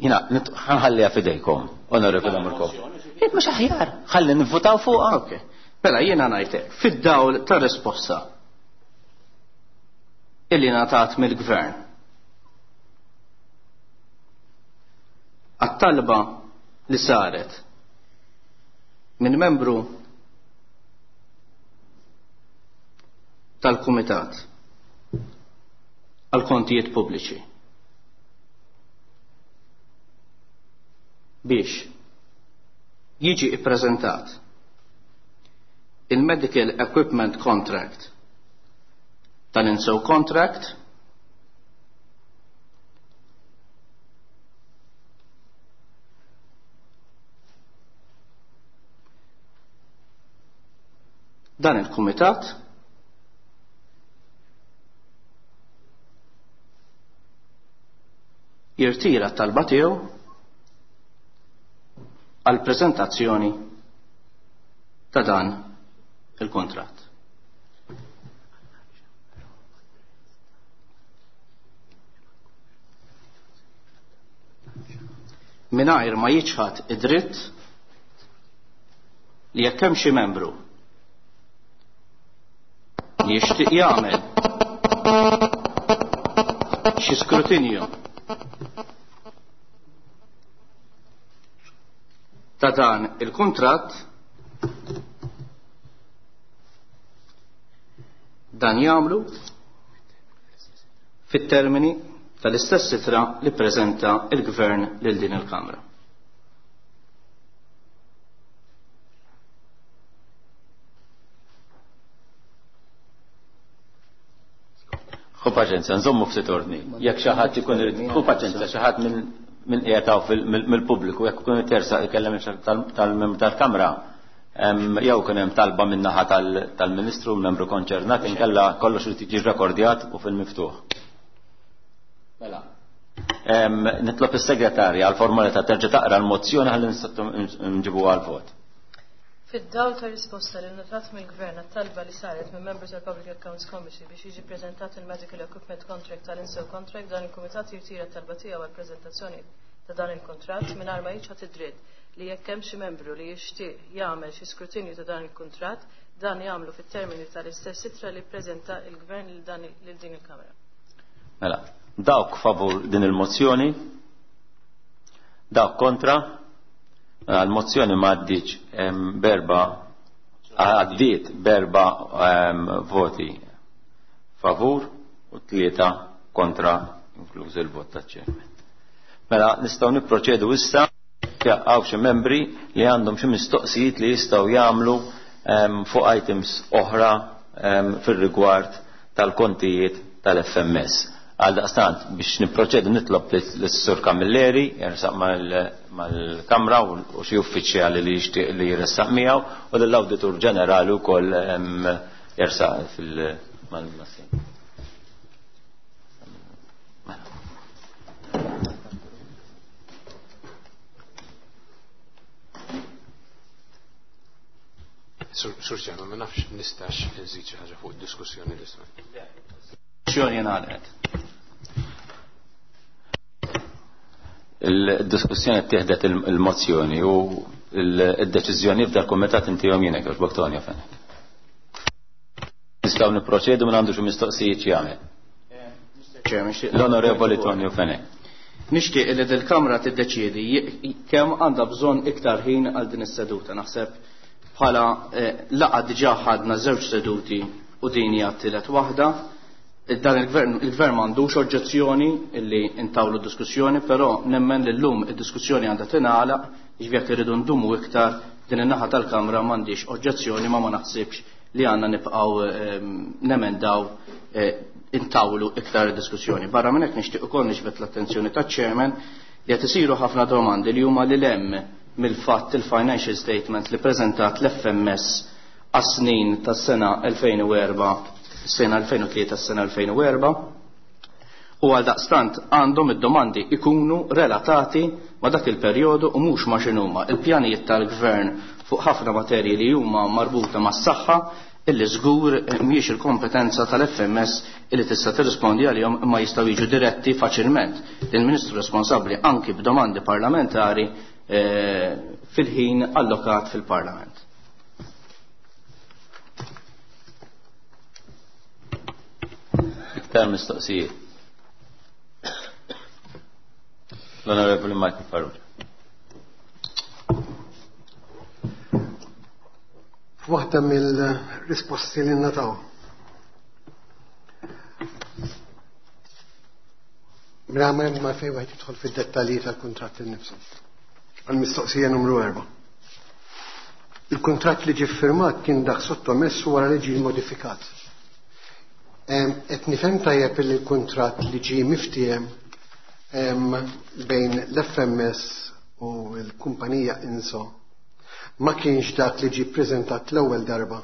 A: jiena ħanħalliha f'idejkom, Onorevoli Marco. Mhux aħjar, ħalli nivvutaw fuqha.
C: Ok. Mela jiena ngħidlek, fid-dawl ta' risposta illi ngħatat mill-gvern għat-talba li saret minn membru tal-Kumitat għal kontijiet pubbliċi biex jiġi ippreżentat il-Medical Equipment Contract tal-Inso Contract dan il-Kumitat jirtira t-talba tiegħu għal preżentazzjoni ta' dan il-kontratt. Mingħajr ma jiċħad id-dritt li jekk hemm xi membru li jixtieq jagħmel xi skrutinju ta' dan il-kuntratt, dan jagħmlu fit-termini tal-istess sitra li ppreżenta il-Gvern lil din il-Kamra.
A: Ħu paċenzja, nżommu ftit ordni. Jekk xi ħadd ikun irid, ħu paċenzja, xi ħadd minn minn qiegħed mill-pubbliku, jekk ikun tersa ikellem tal-membru tal-Kamra, jew kien hemm talba min-naħa tal-Ministru l-membru konċernat, inkella kollox irid jiġi rekordjat u fil-miftuħ. Mela. Nitlob is-segretarja għal formalità terġa' taqra l-mozzjoni ħalli nġibu għal vot.
B: Fid-dawl ta' risposta li ngħatat mill-Gvern għat-talba li saret minn membru tal-Public Accounts Committee biex jiġi ppreżentat il-Medical Equipment Contract tal-Inso Contract, dan il-Kumitat jirtira t-talba tiegħu għall-preżentazzjoni ta' dan il-kuntratt mingħajr ma jiċħad id-dritt li jekk hemm xi membru li jixtieq jagħmel xi skrutinju ta' dan il-kuntratt, dan jagħmlu fit-termini tal-istess ittra li ppreżenta l-Gvern lil din il-Kamra.
A: Mela, dawk favur din il-mozzjoni, dawk kontra. L-mozzjoni ma għaddiċ berba, għaddiet berba voti favur u tlieta kontra, inkluż il-vot ta' chairman. Mela nistgħu nipproċedu issa għaw xi membri li għandhom xi mistoqsijiet li jistgħu jagħmlu fuq items oħra fir-rigward tal-kontijiet tal-F M S. Għal daqstant biex nipproċedu nitlob lis-Sur Camilleri jersaq mal-Kamra u xi uffiċjali li jixtieq li jressaq miegħu u lill-Awditur Ġenerali wkoll jersaq fil-mal-massin.
E: Sur Chairman, ma nafx nistax nżid xi ħaġa fuq id-diskussjoni li smajt.
C: Diskussjoni ngħalqet.
A: Il-diskussjoni ttieħdet il-mozzjoni u il-deċiżjoni f'dal kumitat intihom jiena kif Tonio Fenech. Nistgħu nipproċedu minn għandu xi mistoqsijiet jagħmel. L-Onorevoli Tonio Fenech.
C: Nixtieq li dil-Kamra tiddeċiedi kemm għandha bżonn iktar ħin għal din is-seduta. Naħseb bħala laqgħa diġà ħadna żewġ seduti u din hija t-tielet waħda. Dan il-gvern il-gvern m'għandux oġġezzjoni illi intawlu diskussjoni, però nemmen li llum id-diskussjoni għandha tingħalaq, jiġifieri jekk irridu ndumu iktar din in-naħa tal-Kamra m'għandix oġġezzjoni, ma ma naħsibx li għandna nibqgħu nemendaw intawlu iktar diskussjoni. Barra minn hekk nixtieq ukoll niġbed l-attenzjoni taċ-chairman li qed isiru ħafna domandi li huma lil hemm mill-fatt il-financial statement li preżentat l-F M S għas-snin tas-sena elfejn u erba', sena elfejn u tlieta, sena elfejn u erba', u għal daqstant għandhom id-domandi ikunu relatati ma' dak il-perjodu u mhux ma' x'inhuma il-pjanijiet tal-gvern fuq ħafna materji li huma marbuta mas-saħħa illi żgur mhijiex il-kompetenza tal-F M S illi tista' tirrispondi għalihom imma jistgħu jiġu diretti faċilment lill-Ministru responsabbli anki b'domandi parlamentari fil-ħin allokat fil-Parlament.
A: Iktar mistoqsijiet. L-Onorevoli Michael Farrugia.
F: Waħda mill-risposti li nataw. Mela ma fejn wieħed jidħol fid-dettalji tal-kuntratt innifsu. Għal-mistoqsija numru erba'. Il-kuntratt li ġie ffirmat kien dak sottomess wara li ġie modifikat. Qed nifhem tajjeb li l-kuntratt li ġie miftiehem bejn l-F M S u l-kumpanija Inso ma kienx dak li ġie ppreżentat l-ewwel darba,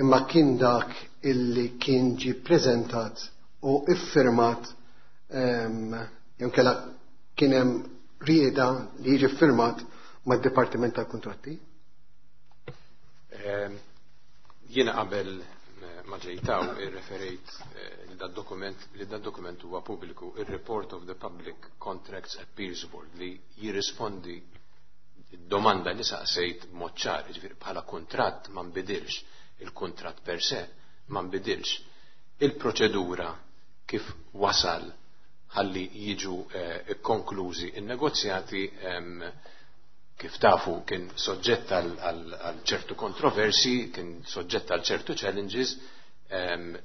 F: imma kien dak illi kien ġie ppreżentat u iffirmat, jew kellha kien hemm rieda li jiġi ffirmat mad-Dipartiment tal-Kuntratti?
E: Jiena qabel ma ġejtaw irreferejt li dad dokument li dad dokument huwa pubbliku, ir-Report of the Public Contracts Appeals Board li jirrispondi domanda li saqsejt b'mod ċar, jiġifieri bħala kuntratt ma nbidilx, il-kuntratt per se ma nbidilx. Il-proċedura kif wasal ħalli jiġu konklużi in-negozjati kif tafu kien soġġett għal ċertu kontroversi, kien soġġett għal ċertu challenges,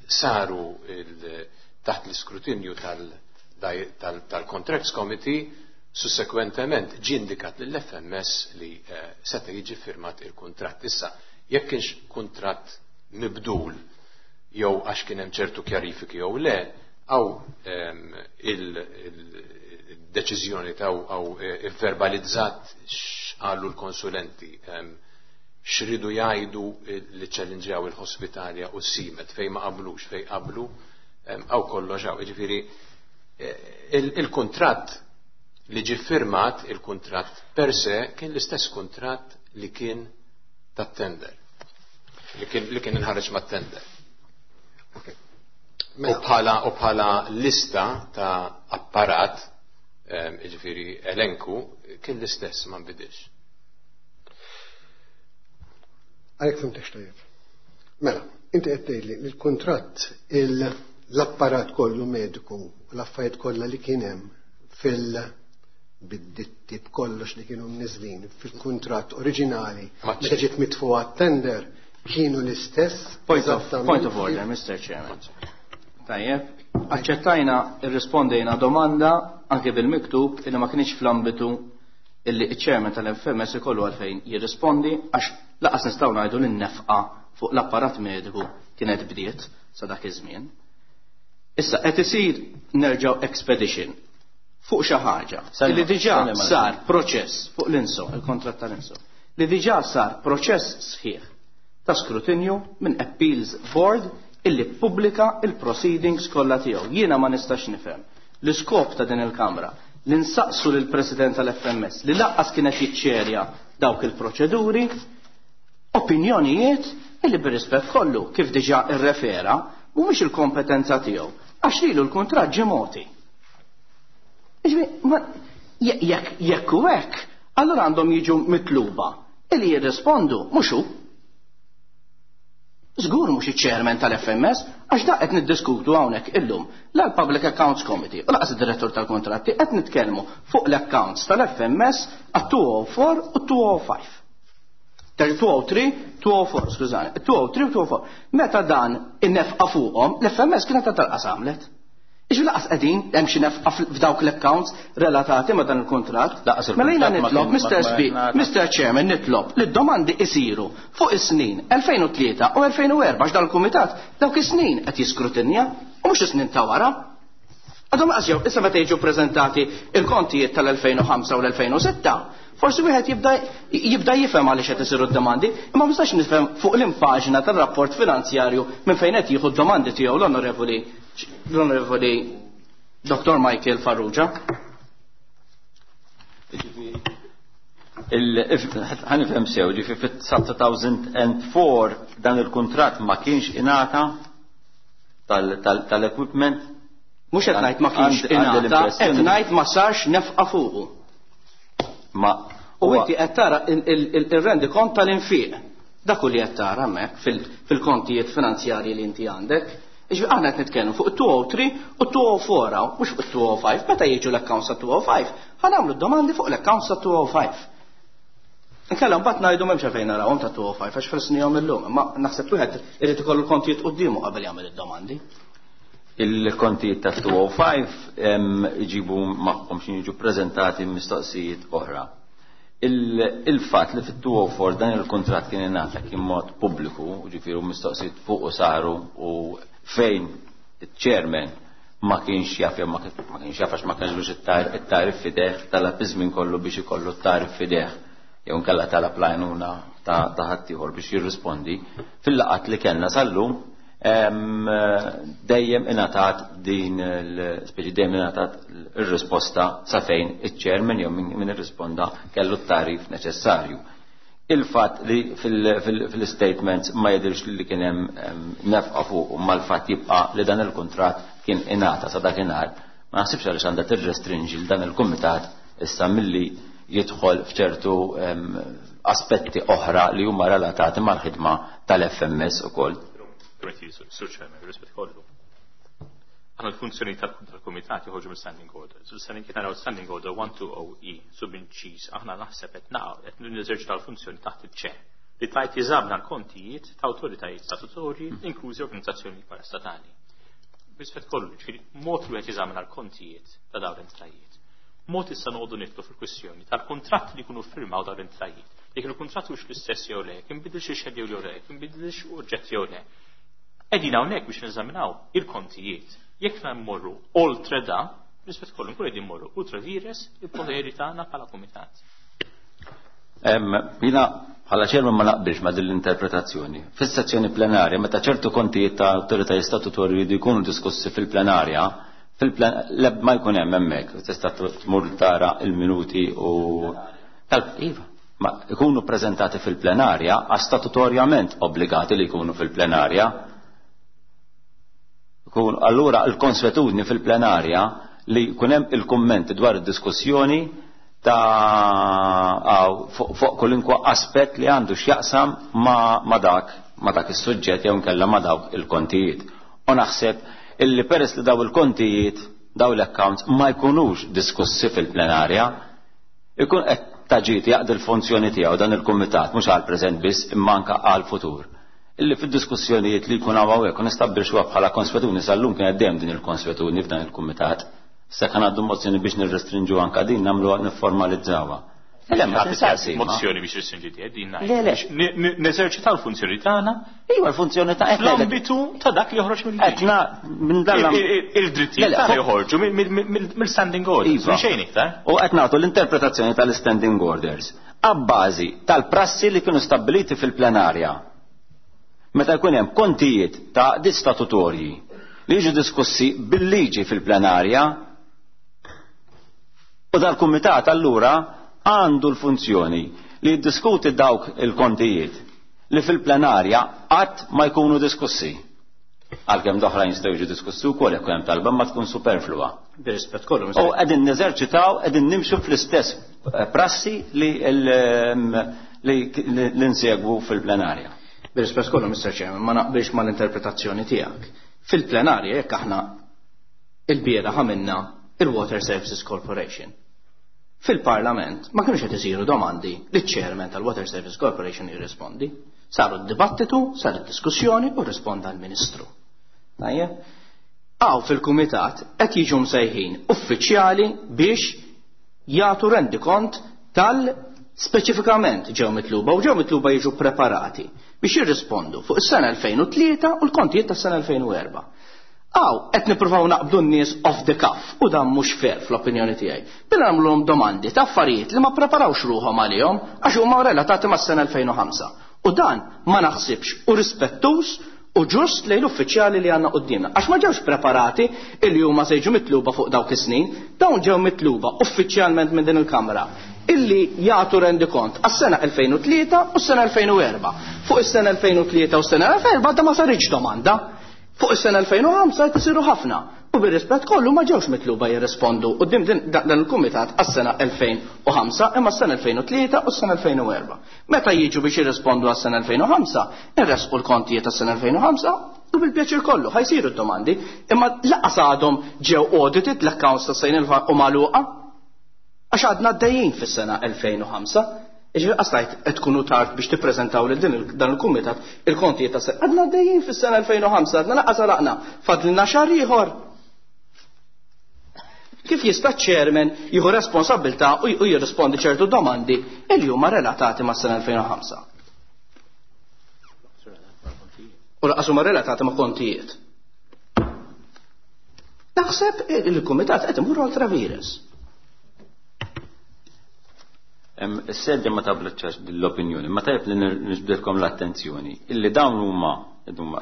E: saru taħt l-iskrutinju tal-Contracts Committee, sussekwentement ġie indikat lill-F M S li seta' jiġi firmat il-kuntratt. Issa, jekk kienx kuntratt mibdul jew għax kien hemm ċertu kjarifiki jew le, għaw il-deċiżjoni ta' għaw verbalizzat x'qalu l-konsulenti, x'ridu jgħidu li ċellinġjaw il-ħospitalja u s-simet fejn ma qablux, fejn qablu, għaw kollox għaw. Jiġifieri Il-kuntratt li ġie firmat, il-kuntratt per se, kien l-istess kuntratt li kien tat-tender. Li kien, li kien inħareġ mat-tender.
F: Okay.
E: U bħala u bħala lista ta' apparat, jiġifieri elenku, kien l-istess, ma nbidilx.
F: Għalhekk fhimtex tajjeb. Mela, inti qed tgħidli li l-kuntratt, l-apparat kollu mediku u l-affarijiet kollha li kien hemm fil bid-ditti b'kollox li kienu mniżlin fil-kuntratt oriġinali meta ġiet mitfuha tender kienu l-istess.
C: Point of, point of order, Mister Chairman. Tajjeb, aċċettajna, irrispondejna domanda anke bil-miktub illi ma kienx fl-ambitu illi iċ-chairman tal-F M S ikollu għalfejn jirrispondi, għax laqas nistgħu ngħidu li n-nefqa fuq l-apparat mediku kienet bdiet sa dak iż-żmien. Issa qed isir nerġgħu expedition fuq xi ħaġa li diġà sar proċess fuq l-INSO, il-kontratt tal-INSO, li diġà sar proċess sħiħ ta' skrutinju minn Appeals Board illi pubblika il-proceedings kollha tiegħu. Jiena ma nistax nifhem l-iskop ta' din il-Kamra li nsaqsu lill President tal-F M S li laqqas kienet jiċċerja dawk il-proċeduri opinjonijiet illi bir-rispett kollu kif diġà irrefera mhumiex il-kompetenza tiegħu għax lilu l-kuntratt ġie mogħti. Jekk jekk u hekk, allura għandhom jiġu mitluba illi jirrispondu mhux hu. Żgur mhux iċ-chairman tal-F M S, għax da qed niddiskutu hawnhekk illum la l-Public Accounts Committee u laqas id-direttur tal-kontratti, qed nitkellmu fuq l-accounts tal-F M S għat-elfejn u erbgħa u elfejn u ħamsa. elfejn u tlieta, elfejn u erbgħa, skużani, elfejn u tlieta u elfejn u erbgħa. Meta dan in-nefqa fuqhom, l-F M S kienet talqas għamlet. Iġu laqas qegħdin hemm xi nefqa f'dawk l-accounts relatati ma' dan il-kuntratt. Mela jiena nitlob, Mister Sbi, Mister Chairman, nitlob li d-domandi isiru fuq is-snin elfejn u tlieta u elfejn u erbgħa, għax dal-kumitat dawk is-snin qed jiskrutinja u mhux is-snin ta' wara. Għadhom qas jew issa meta jiġu preżentati il-kontijiet tal-elfejn u ħamsa u l-elfejn u sitta, forsi wieħed jibda jibda jifhem għaliex qed isiru d-domandi, imma ma nistax nifhem fuq l-impaġna tar-rapport finanzjarju minn fejn qed jieħu d-domandi tiegħu l-Onorevoli l-Onorevoli Doktor Michael Farrugia.
A: Ħa nifhem sew, ġifi fit-elfejn u erbgħa dan il-kuntratt ma kienx ingħata tal-equipment?
C: Mhux qed ngħid ma kienx ingħata, qed ngħid ma sarx nefqa fuqu.
A: Ma
C: U inti qed tara il-rendikont tal-infiq. Dak li qed tara hemmhekk fil-kontijiet finanzjarji li inti għandek. Iġbi aħna qed nitkellmu fuq elfejn u tlieta u elfejn u erbgħa, mhux fuq elfejn u ħamsa. Meta jiġu l-accounts ta' elfejn u ħamsa, ħa nagħmlu d-domandi fuq l-accounts ta' elfejn u ħamsa. Inkella mbagħad ngħidu m'hemmx fejn narawhom ta' elfejn u ħamsa għax felsnihom illum, imma naħseb wieħed irid ikollu l-kontijiet quddiemu qabel jagħmel id-domandi.
A: Il-kontijiet ta' elfejn u ħamsa iġibu magħhom xi jiġu preżentati mistoqsijiet oħra. Il-fatt li fit-elfejn u erbgħa dan il-kuntratt kien ingħata kien mod pubbliku, ġifieri mistoqsijiet fuq u saru, u fejn il-chairman ma kienx jaf jew ma kienx jaf għax ma kienx it-tagħrif f'idejh, talab iż-żmien kollu biex ikollu t-tagħrif f'idejh jew nkella talab l-għajnuna ta' ħaddieħor biex jirrispondi. Fil-laqgħat li kellna sal-lum dejjem ingħatat din l-speċi, dejjem ingħatat ir-risposta sa fejn iċ-chairman jew min irrisponda kellu t-tagħrif neċessarju. Il-fatt li fil-statements ma jidirx li kien hemm nefqa fuq, u mal-fatt jibqa' li dan il-kuntratt kien ingħata sa dakinhar, ma naħsibx għaliex għandha tirrestrinġi l dan il-kumitat issa milli jidħol f'ċertu aspetti oħra li huma relatati mal-ħidma tal-F M S ukoll.
D: Sur Chairman, rispett kollu. Aħna l-funzjoni tal-kumitat joħorġu mill-standing order. So standing kien naraw standing order one two zero E sub inċiż, aħna naħseb qed naqgħu qed neżerċitaw l-funzjoni taħt iċ-ċe li tajt jeżamina l-kontijiet ta' awtoritajiet statutorji, inklużi organizzazzjoni parastatali. Rispett kollu, ġifieri mod li qed jeżamina l-kontijiet ta' dawn l-entitajiet. Mod issa noqogħdu nidħlu fil-kwistjoni tal-kuntratt li jkunu firmaw dawn l-entitajiet. Jekk il-kuntratt hux l-istess jew le, jekk inbidilx ix-xed jew le, jekk inbidilx oġġett jew le. Qegħdin hawnhekk biex neżaminaw il-kontijiet. Jekk mmorru oltre da, rispett kollu nkun qegħdin mmorru ultra vires il-poteri tagħna bħala kumitat.
A: Jiena bħala chairman ma naqbilx ma din l-interpretazzjoni. Fis-sezzjoni plenarja, meta ċertu kontijiet ta' awtoritajiet statutorji jridu jkunu diskussi fil-plenarja, Fil-plen ma jkun hemm hemmhekk, tista' tmur tara il-minuti u tal-iva. Ma jkunu preżentati fil-plenarja għax statutorjament obbligati li jkunu fil-plenarja. Allura l-konswetudni fil-plenarja li jkun hemm il-kummenti dwar id-diskussjoni ta' fuq kulinkwa aspett li għandu x'jaqsam ma dak ma dak is-suġġett jew inkella ma dawk il-kontijiet. U naħseb illi peress li daw il-kontijiet, daw l-accounts ma jkunux diskussi fil-plenarja, ikun qed taġit jaqdi l-funzjoni tiegħu dan il-kumitat mhux għal preżent biss imma anke għal futur. Illi fid-diskussjonijiet li jkun hawn hawnhekk u nistabbilxuha bħala konswetudni sal-lum kien dejjem din il-konswetudni f'dan il-kumitat. Se kan għaddu mozzjoni biex nirrestrinġu anka din nagħmluha nifformalizzawha. Le, ma tinsaqsi.
D: Mozzjoni biex restrinġi din
A: Le, le.
D: Neżerċitaw l-funzjoni tagħna.
A: Iva l-funzjoni ta'
D: fl-ambitu ta' dak li joħroġ mill-liġi.
A: Etna minn dan
D: il-drittijiet tagħna joħorġu mill-standing orders, minn xejn iktar.
A: U qed nagħtu l-interpretazzjoni tal-standing orders abbażi tal-prassi li kienu stabbiliti fil-plenarja. Meta jkun hemm kontijiet ta' għaqdiet statutorji li jiġu diskussi bil-liġi fil-plenarja, u dal-kumitat allura għandu l-funzjoni li jiddiskuti dawk il-kontijiet li fil-plenarja qatt ma jkunu diskussi. Għalkemm oħrajn jistgħu jiġu diskussi wkoll jekk hemm talba ma tkun superflua.
C: Bir-rispett kollu.
A: U qegħdin neżerċitaw, qegħdin nimxu fl-istess prassi li li nsegwu fil-plenarja.
C: Bir-rispett kollu, Mister Chairman, ma naqbilx mal-interpretazzjoni tiegħek. Fil-plenarja jekk aħna il-bieraħ għamilna il-Water Services Corporation. Fil-Parlament ma kienux qed isiru domandi li ċ-chairman tal-Water Services Corporation jirrispondi. Saru d-dibattitu, sar id-diskussjoni u risponda l-Ministru. Tajjeb? Għaw fil-Kumitat qed jiġu msejħin uffiċjali biex jagħtu rendikont tal-speċifikament ġew mitluba u ġew mitluba jiġu preparati biex jirrispondu fuq is-sena elfejn u tlieta u l-kontijiet tas-sena elfejn u erba'. Għaw, qed nippruvaw naqbdu n-nies off the cuff u dan mhux fair fl-opinjoni tiegħi. Billi nagħmluhom domandi ta' affarijiet li ma preparawx ruħhom għalihom għax huma relatati mas-sena elfejn u ħamsa. U dan ma naħsibx u rispettuż u ġust lejn l-uffiċjali li għandna quddiemna. Għax ma ġewx preparati illi huma se jiġu mitluba fuq dawk is-snin, dawn ġew mitluba uffiċjalment minn din il-Kamra illi jagħtu rendikont għas-sena elfejn u tlieta u s-sena elfejn u erba'. Fuq is-sena elfejn u tlieta u s-sena elfejn u erba' da ma saritx domanda. Fuq is-sena elfejn u ħamsa qed isiru ħafna. U bir-rispett kollu ma ġewx mitluba jirrispondu quddiem dan il-kumitat għas-sena elfejn u ħamsa imma s-sena elfejn u tlieta u s-sena elfejn u erba'. Meta jiġu biex jirrispondu għas-sena elfejn u ħamsa, irresqu l-kontijiet għas-sena elfejn u ħamsa u bil-pjaċir kollu ħajsiru d-domandi, imma laqas għadhom ġew audited l-accounts tas-sena u magħluqa għax għadna għaddejjin fis-sena elfejn u ħamsa. Iġifieri qastajt qed tkunu tard biex tippreżentaw lil din dan il-kumitat il-kontijiet ta' sena. Għadna għaddejjin fis-sena elfejn u ħamsa, għadna laqas għalaqna, fadlilna xahar ieħor. Kif jista' ċ-chairman jieħu responsabilità u jirrispondi ċertu domandi li huma relatati mas-sena elfejn u ħamsa? U laqas huma relatati ma' kontijiet. Naħseb il-kumitat qed imur oltra virus.
A: Is-sedja ma tablaċċax l-opinjoni, ma tajb li nġbdilkom l-attenzjoni illi dawn huma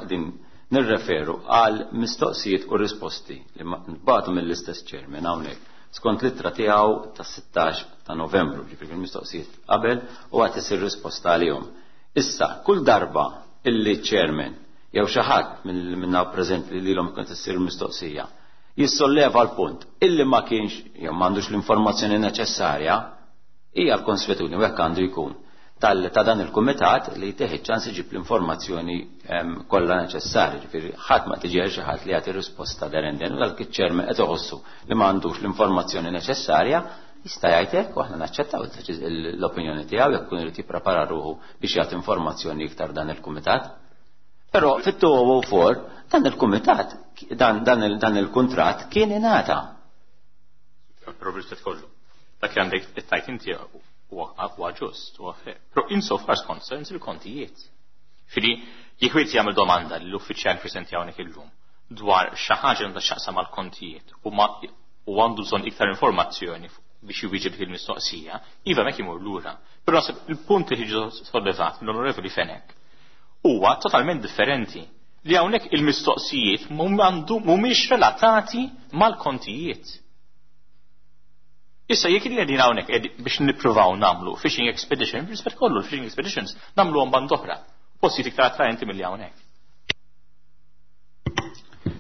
A: din nirreferu għal mistoqsijiet u risposti li nbagħtu mill-istess chairman hawnhekk skont l-ittra tiegħu tas-sittax ta' Novembru, ġifieri il-mistoqsijiet qabel u għad isir risposta għalihom. Issa, kull darba illi chairman jew xi ħadd minna preżenti li lilhom kont issir mistoqsija jissolleva l-punt illi ma kienx jew m'għandux l-informazzjoni neċessarja, hija l-konswetudni u hekk għandu jkun tal ta' dan il-kumitat li jteħid ċans iġib l-informazzjoni kollha neċessarja, ġifieri ħadd ma tiġi xi ħadd li jagħti risposta derenden u dak iċ-ċermen qed iħossu li m'għandux l-informazzjoni neċessarja jista' jgħid hekk u aħna naċċettaw l-opinjoni tiegħu jekk ikun irid jipprepara ruħu biex jagħti informazzjoni iktar dan il-kumitat. Però fit-two oh four dan il-kumitat dan, dan il, dan il-kuntratt kien ingħata.
D: Però biex kollu. Dak li għandek it-tajt inti huwa ġust, huwa fair. Però insofar as concerns il-kontijiet. Fili, jekk wieħed jagħmel domanda lill-uffiċjal preżenti hawnhekk illum dwar xi ħaġa għandha x'taqsam mal-kontijiet u ma u għandu bżonn iktar informazzjoni biex jwieġeb il-mistoqsija, iva mek imur lura. Però naħseb il-punt li ġie sollevat mill-Onorevoli Fenech huwa totalment differenti li hawnhekk il-mistoqsijiet mhumiex relatati mal-kontijiet. Issa jekk qegħdin hawnhekk biex nippruvaw nagħmlu fishing expedition, rispett kollu l-fishing expeditions nagħmluhom band oħra, postijiet iktar attraenti milli hawnhekk.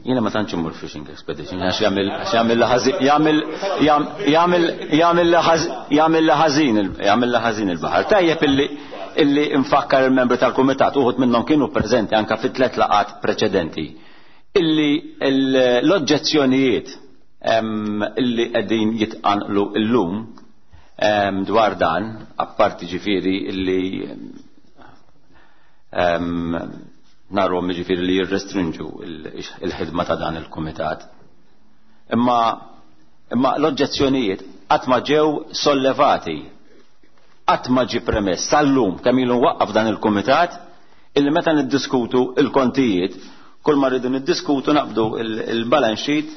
A: Jiena ma tantx immur fishing expedition għax jagħmel jagħmel jagħmel jagħmel jagħmel jagħmel ħażin jagħmel ħażin il-baħar. Tajjeb illi illi nfakkar il-membri tal-kumitat, uħud minnhom kienu preżenti anke fit tliet laqat preċedenti, illi l-oġġezzjonijiet illi qegħdin jitqanqlu llum dwar dan, apparti ġifieri illi narhom ġifieri li jirrestrinġu il-ħidma ta' dan il-kumitat. Imma imma l-oġġezzjonijiet qatt ma ġew sollevati, qatt ma ġie premess sal-lum kemm ilu waqqaf dan il-kumitat illi meta niddiskutu il-kontijiet kull ma rridu niddiskutu naqbdu il-balance sheet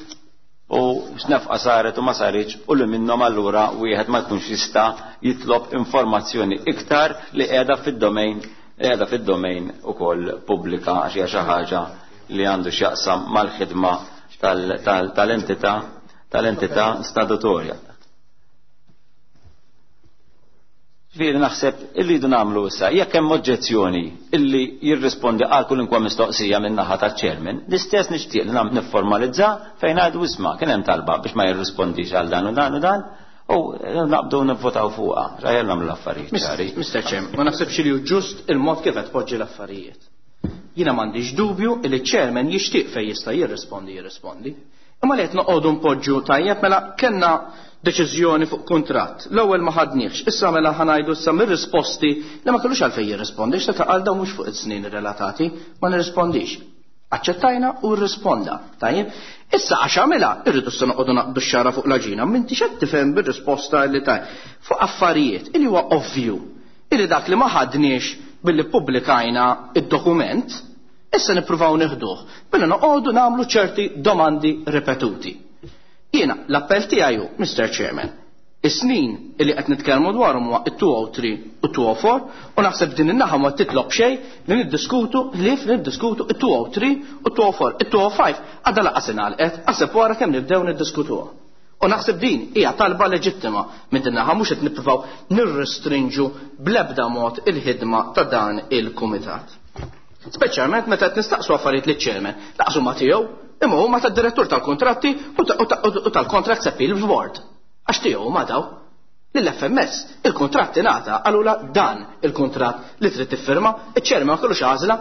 A: u x'nefqa saret u ma saritx u li minnhom allura wieħed ma jkunx jista' jitlob informazzjoni iktar li qiegħda fid-domain qiegħda fid-domain ukoll pubblika għax hija xi ħaġa li għandu x'jaqsam mal-ħidma tal-entità tal-entità statutorja. Ġifieri naħseb irridu nagħmlu issa jekk hemm oġġezzjoni illi jirrispondi għal kulinkwa mistoqsija minn naħa taċ-chairman, l-istess nixtieq li nifformalizza fejn ngħidu isma' kien hemm talba biex ma jirrispondix għal dan u dan u dan u naqbdu nivvotaw fuqha. Rajja nagħmlu l-affarijiet ċari.
C: Mister Chairman, ma naħsibx li hu ġust il-mod kif qed tpoġġi l-affarijiet. Jiena m'għandix dubju li ċ-chairman jixtieq fejn jista' jirrispondi jirrispondi. Imma li qed noqogħdu npoġġu tajjeb mela kellna deċiżjoni fuq kuntratt. L-ewwel ma ħadniex, issa mela ħanajdu issa mir-risposti li ma kellux għalfejn jirrispondi, x'ta qal dawn mhux fuq is-snin relatati, ma nirrispondix. Aċċettajna u rrisponda. Tajjeb, issa għax għamilha irridu issa noqogħdu naqdu x-xara fuq l-aġina, m'intix qed tifhem bir-risposta li taj. Fuq affarijiet illi huwa ovvju illi dak li ma ħadniex billi ppubblikajna id-dokument, issa nippruvaw nieħduh billi noqogħdu nagħmlu ċerti domandi ripetuti. Jiena l-appell tiegħi hu, Mister Chairman, is-snin illi qed nitkellmu dwarhom huwa it-two oh three u two oh four u naħseb din in-naħa ma titlob xejn li niddiskutu ħlief li niddiskutu it-two oh three u two oh four. It-two oh five għadha laqas ingħalqet, għaseb wara kemm nibdew niddiskutuha. U naħseb din hija talba leġittima minn din naħa mhux qed nippruvaw nirrestrinġu bl-ebda mod il-ħidma ta' dan il-kumitat. Speċjalment meta qed nistaqsu affarijiet liċ-chairman, laqsu ma tiegħu, imma huma tad-direttur tal-kontratti u tal-Contracts Appeal Board. Għax tiegħu ma daw. Lill-F M S il-kuntratt ingħata qalula dan il-kuntratt li trid tiffirma, iċ-chairman ma kellux għażla,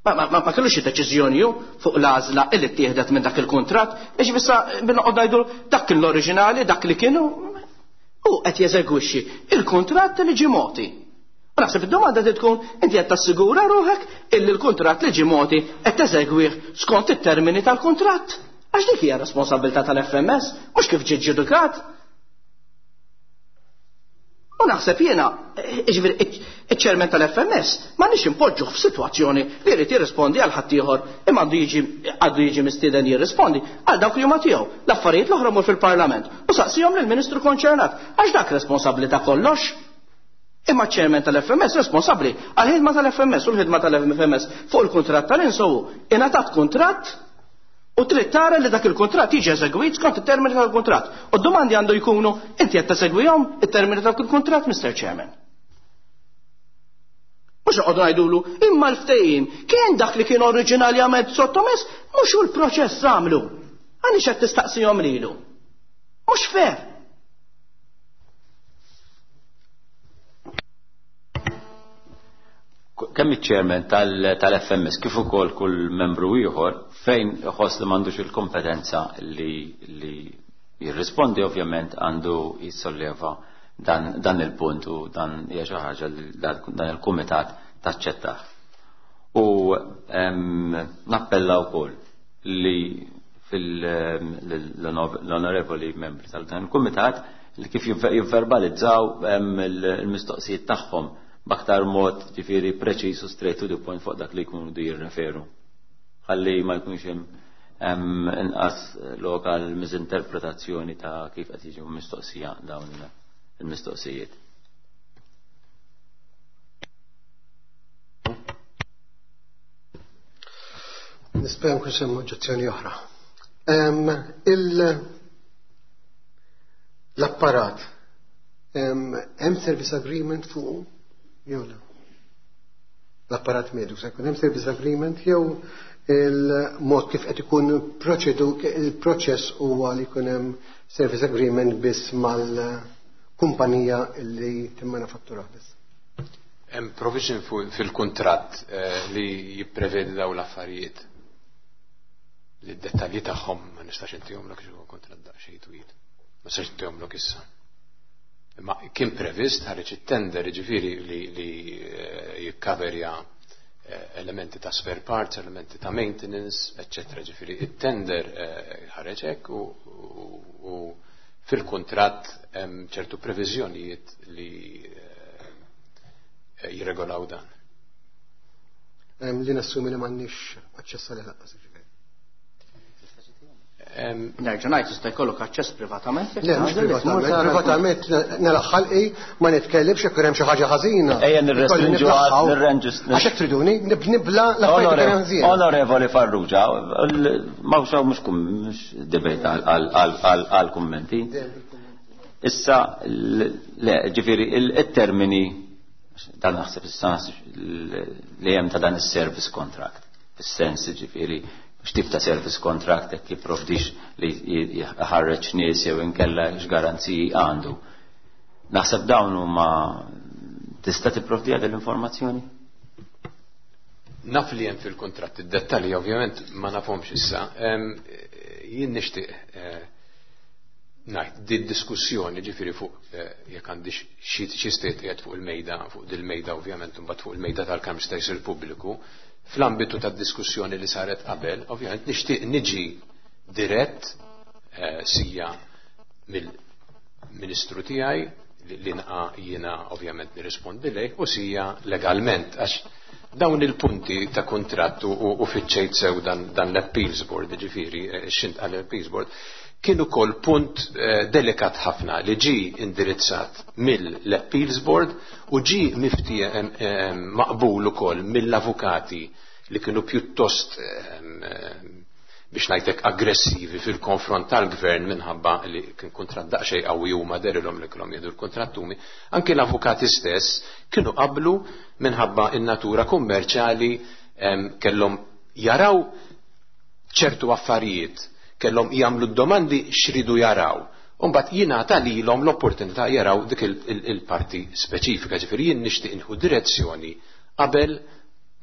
C: ma kellux xi deċiżjoni hu fuq l-għażla illi ttieħdet minn dak il-kuntratt, biex issa binoqgħod ngħidu dak kien l-oriġinali, dak li kienu hu qed jeżegwixxi il-kuntratt li ġie mogħti. U naħseb id-domanda trid tkun inti qed tassigura ruħek illi l-kuntratt li ġie mogħti qed teżegwih skont it-termini tal-kuntratt. Għax dik hija responsabilità tal-F M S, mhux kif ġie ġudikat. U naħseb jiena, jiġifieri iċ-chairman tal-F M S m'għandniex impoġġuh f'sitwazzjoni li jrid jirrispondi għal ħaddieħor imma għandu jiġi għandu jiġi mistieden jirrispondi għal dawk li huma tiegħu. L-affarijiet l-oħra mur fil-Parlament u saqsihom lill-Ministru konċernat għax dak responsabbli ta' kollox. Imma ċ-chairman tal-F M S responsabbli għall-ħidma tal-F M S u l-ħidma tal-F M S fuq il-kuntratt tal-Inso ingħatat kuntratt u trid tara li dak il-kuntratt jiġi eżegwit skont it-termini tal-kuntratt. U d-domandi għandu jkunu inti qed tesegwihom it-termini tal-kuntratt, Mister Chairman. Mhux noqogħdu ngħidulu imma l-ftehim kien dak li kien oriġinarjament sottomess, mhux hu l-proċess għamlu. Għaliex qed tistaqsihom lilu? Mhux fair.
A: Kemm iċ-chairman tal-F M S kif ukoll kull membru ieħor fejn iħoss li m'għandux il-kompetenza li, li jirrispondi ovvjament għandu jissolleva dan, dan il-punt u dan hija xi ħaġa li dan il-kumitat taċċettah. U nappella wkoll li fil-onorevoli membri tal-dan il-kumitat li kif jivverbalizzaw il-mistoqsijiet tagħhom b'aktar mod ġifieri preċiż u straight to the point fuq dak li jkunu du jirreferu. Ħalli ma jkunx hemm inqas lokal miżinterpretazzjoni ta' kif qed jiġu mistoqsija dawn il-mistoqsijiet.
F: Nispera nkun semmu oġġezzjoni oħra. L-apparat, hemm service agreement fuq jew le? L-apparat mediku se jkun hemm service agreement jew il-mod kif qed ikun proċedu il-proċess huwa li jkun hemm service agreement biss mal-kumpanija li timmanifattura biss.
E: Hemm provision fil-kuntratt li jipprevedi dawn l-affarijiet. Li d-dettalji tagħhom ma nistax intihomlok għax huwa kuntratt daqsxejn twil. Ma nistax intihomlok issa. Imma kien previst ħareġ it-tender jiġifieri li, li jikkaverja elementi ta' spare parts, elementi ta' maintenance, eccetera. Ġifieri it-tender ħareġ hekk u, u, u fil-kuntratt hemm ċertu previżjonijiet li jirregolaw dan.
F: Li nassumi li m'għandniex aċċess għalih lanqas.
C: Nerġa' ngħid jista' jkollok aċċess privatament.
F: Le, mhux privatament, privatament nelaħħalqi ma nitkellimx jekk hemm xi ħaġa ħażina.
A: Ejja nirrestrinġu nirrenġu.
F: Għax hekk triduni nibla l-affarijiet li hemm ħażina.
A: Onorevoli Farrugia, ma mhux mhux debate għal kummenti. Issa le, ġifieri il-termini dan naħseb issa li hemm ta' dan is-service contract. Fis-sens ġifieri x'tip ta' service contract jekk jipprovdix li jħarreġ nies jew inkella x'garanziji għandu. Naħseb dawn huma tista' tipprovdi għal l-informazzjoni?
E: Naf li hemm fil-kuntratt id-dettalji ovvjament ma nafhomx issa. Jien nixtieq ngħid di diskussjoni ġifieri fuq jekk għandix xi state qiegħed fuq il-mejda, fuq dil-mejda ovvjament imbagħad fuq il-mejda tal-Kamra jista' jsir pubbliku. Fl-ambitu tad-diskussjoni li saret qabel, ovvjament nixtieq niġi dirett eh, sija mill-ministru tiegħi li, li naqa jiena ovvjament nirrispondi lejh u sija legalment għax dawn il-punti ta' kuntratt u, u fiċċejt sew dan, dan l-appeals board, ġifieri x'int għal appeals board, kien ukoll punt eh, delikat ħafna li ġi indirizzat mill-appeals board u ġi mifti eh, eh, maqbul ukoll mill-avukati li kienu pjuttost biex ngħidlek aggressivi fil-konfront tal-gvern minħabba li kien kuntratt daqsxejn qawwi huma derilhom li kellhom jieħdu l-kuntrattumi, anke l-avukati stess kienu qablu minħabba in-natura kummerċjali kellhom jaraw ċertu affarijiet, kellhom jagħmlu d-domandi x'ridu jaraw. Umbagħad jingħata lilhom l-opportunità jaraw dik il-parti speċifika, ġifieri jien nixtieq inħu direzzjoni qabel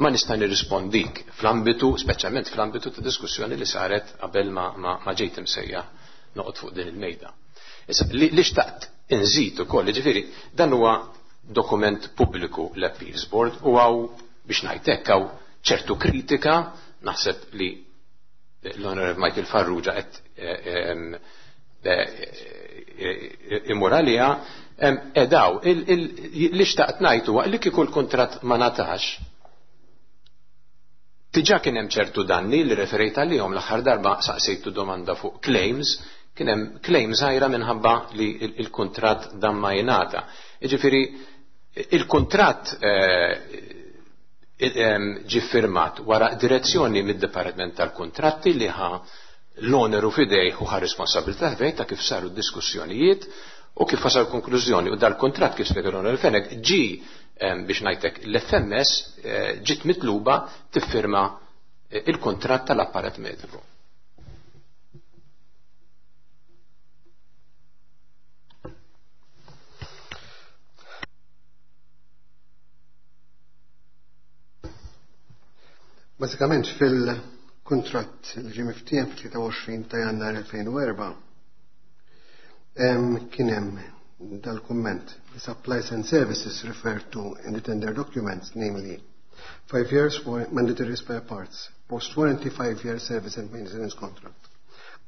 E: ma nista' nirrispondik fl-ambitu, speċjalment fl-ambitu ta' diskussjoni li saret qabel ma, ma, ma ġejt imsejja noqgħod fuq din il-mejda. Issa li, li xtaqt inżid ukoll, ġifieri dan huwa dokument pubbliku l-Appeals Board u hawn biex ngħid hekk hawn ċertu kritika, naħseb li l-Onorevoli Michael Farrugia qed imur għaliha edaw li xtaqt ngħid huwa li kieku l-kuntratt ma ngħatax diġà kien hemm ċertu danni li referejt għalihom l-aħħar darba saqsejtu domanda fuq claims, kien hemm claims żgħira minħabba li il-kuntratt dan ma jingħata. Jiġifieri il-kuntratt ġi firmat wara direzzjoni mid-Dipartiment tal-Kuntratti li ħa l-oneru fidejh u ħa responsabilità fidejh ta' kif saru d-diskussjonijiet u kif wasal konklużjoni. U dal-kuntratt kif spjega l-Onorevoli Fenech ġi biex ngħidlek l-F M S ġiet mitluba tiffirma il-kuntratt tal-apparat mediku.
F: Bażikament fil-kuntratt li ġie miftiehem fit-tlieta u għoxrin ta' Jannar elfejn u erba' kien hemm dal-kumment: the supplies and services referred to in the tender documents, namely five years for mandatory spare parts, post-warranty five-year service and maintenance contract,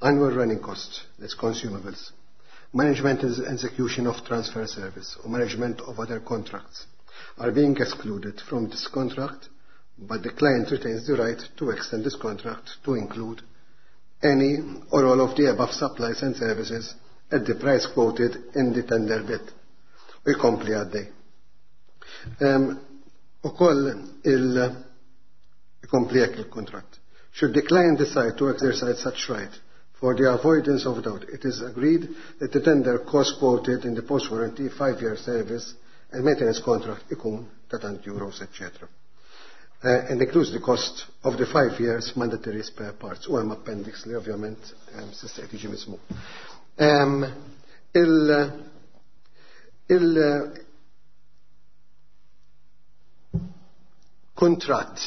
F: annual running costs, that's consumables, management and execution of transfer service or management of other contracts are being excluded from this contract, but the client retains the right to extend this contract to include any or all of the above supplies and services at the price quoted in the tender bid. U jkompli għaddej. U koll il jkompli hekk il-kontratt. Should the client decide to exercise such right, for the avoidance of doubt, it is agreed that the tender cost quoted in the post-warranty five-year service and maintenance contract ikun ta' tant euros, et cetera. Uh, and includes the cost of the five years mandatory spare parts. U hemm appendix li ovvjament um, s'issa qed jiġi mismu. Um, il il kuntratt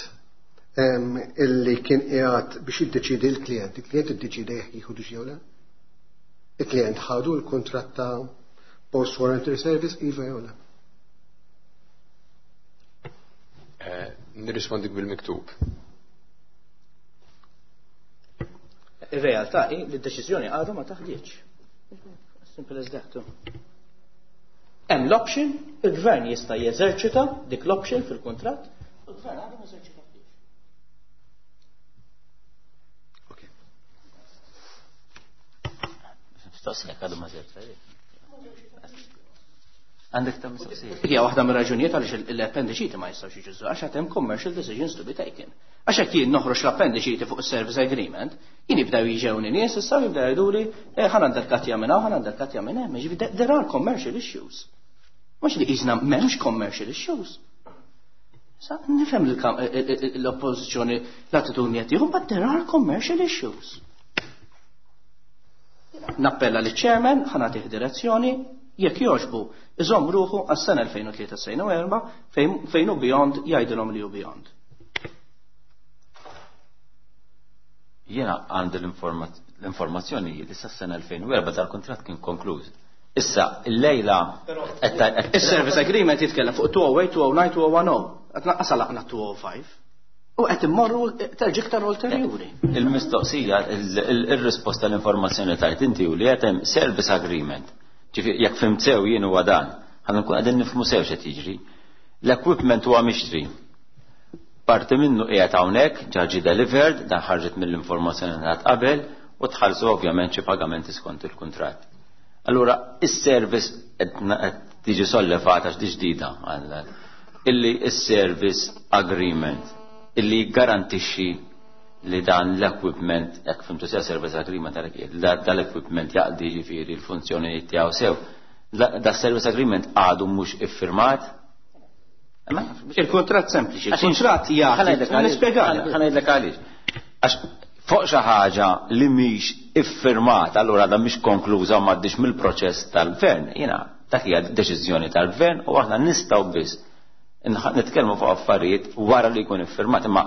F: um, illi kien qiegħed biex jiddeċidi l-klient, il-klient iddeċida jekk jieħu jew le? Il-klient ħadu l-kuntratt ta' post warranty service, iva jew le?
E: Eh, nirrispondik bil-miktub.
C: Ir-realtà hi li d-deċiżjoni għadha ma taħdiċ. Simple as that. Hemm l-option, il-gvern jista' jeżerċita dik l-option fil-kuntratt, u l-gvern għadu ma eżerċita.
F: Okay.
A: Mistoqsija, għadu ma eżerċita. Għandek ta' mistoqsija.
C: Hija waħda mir-raġunijiet għaliex l-appendiċiti ma jistgħux jiġu, għax għad hemm commercial decisions to be taken. Għax hekk jien noħroġ l-appendiċiti fuq is-service agreement, jien jibdew jiġewni nies issa jibdew jgħiduli eh, ħa nanderkattja minn hawn, ħa nanderkattja minn hemm, jiġifieri there are commercial issues. Mhux li qisna m'hemmx commercial issues. Sa nifhem l-oppożizzjoni l-attitudni qed tieħu, but there are commercial issues. Nappella li chairman ħa nagħtih direzzjoni, jekk jogħġbu iżomm ruħu għas-sena elfejn u tlieta fejn fejn hu beyond jgħidilhom li hu beyond.
A: Jiena għandi l-informazzjoni li sas-sena elfejn u erbgħa dal-kuntratt kien konkluż. Issa, il-lejla.
C: Is-service agreement jitkellem fuq elfejn u tmien, elfejn u disa, elfejn u għaxra. Qed naqqas laqna elfejn u ħamsa. U qed immorru terġi iktar ulterjuri.
A: Il-mistoqsija, il-risposta l-informazzjoni tajt inti u li qed hemm service agreement. Ġifieri jekk fhimt sew jien huwa dan, ħa nkun qegħdin nifhmu sew x'qed jiġri. L-equipment huwa mixtri. Parti minnu qiegħed hawnhekk, ġa delivered, dan ħarġet mill-informazzjoni ta' qabel u tħallsu ovvjament xi pagamenti skont il-kuntratt. Allura, is-service qed tiġi sollevata x'di ġdida illi is-service agreement illi garantixxi li dan l-equipment, jekk fhimtu sew service agreement, dal-equipment jaqdi ġifieri l-funzjoni tiegħu sew. Da service agreement għadu mhux iffirmat.
C: Il-kontrat sempliċi, il-kontrat jagħti. Nispjegali.
A: Ħa ngħidlek għaliex. Għax fuq xi ħaġa li mhix iffirmat, allura da mhix konkluża u m'għaddix mill-proċess tal-gvern. Jiena dak hija deċiżjoni tal-gvern u aħna nistgħu biss nitkellmu fuq affarijiet wara li jkun iffirmat, imma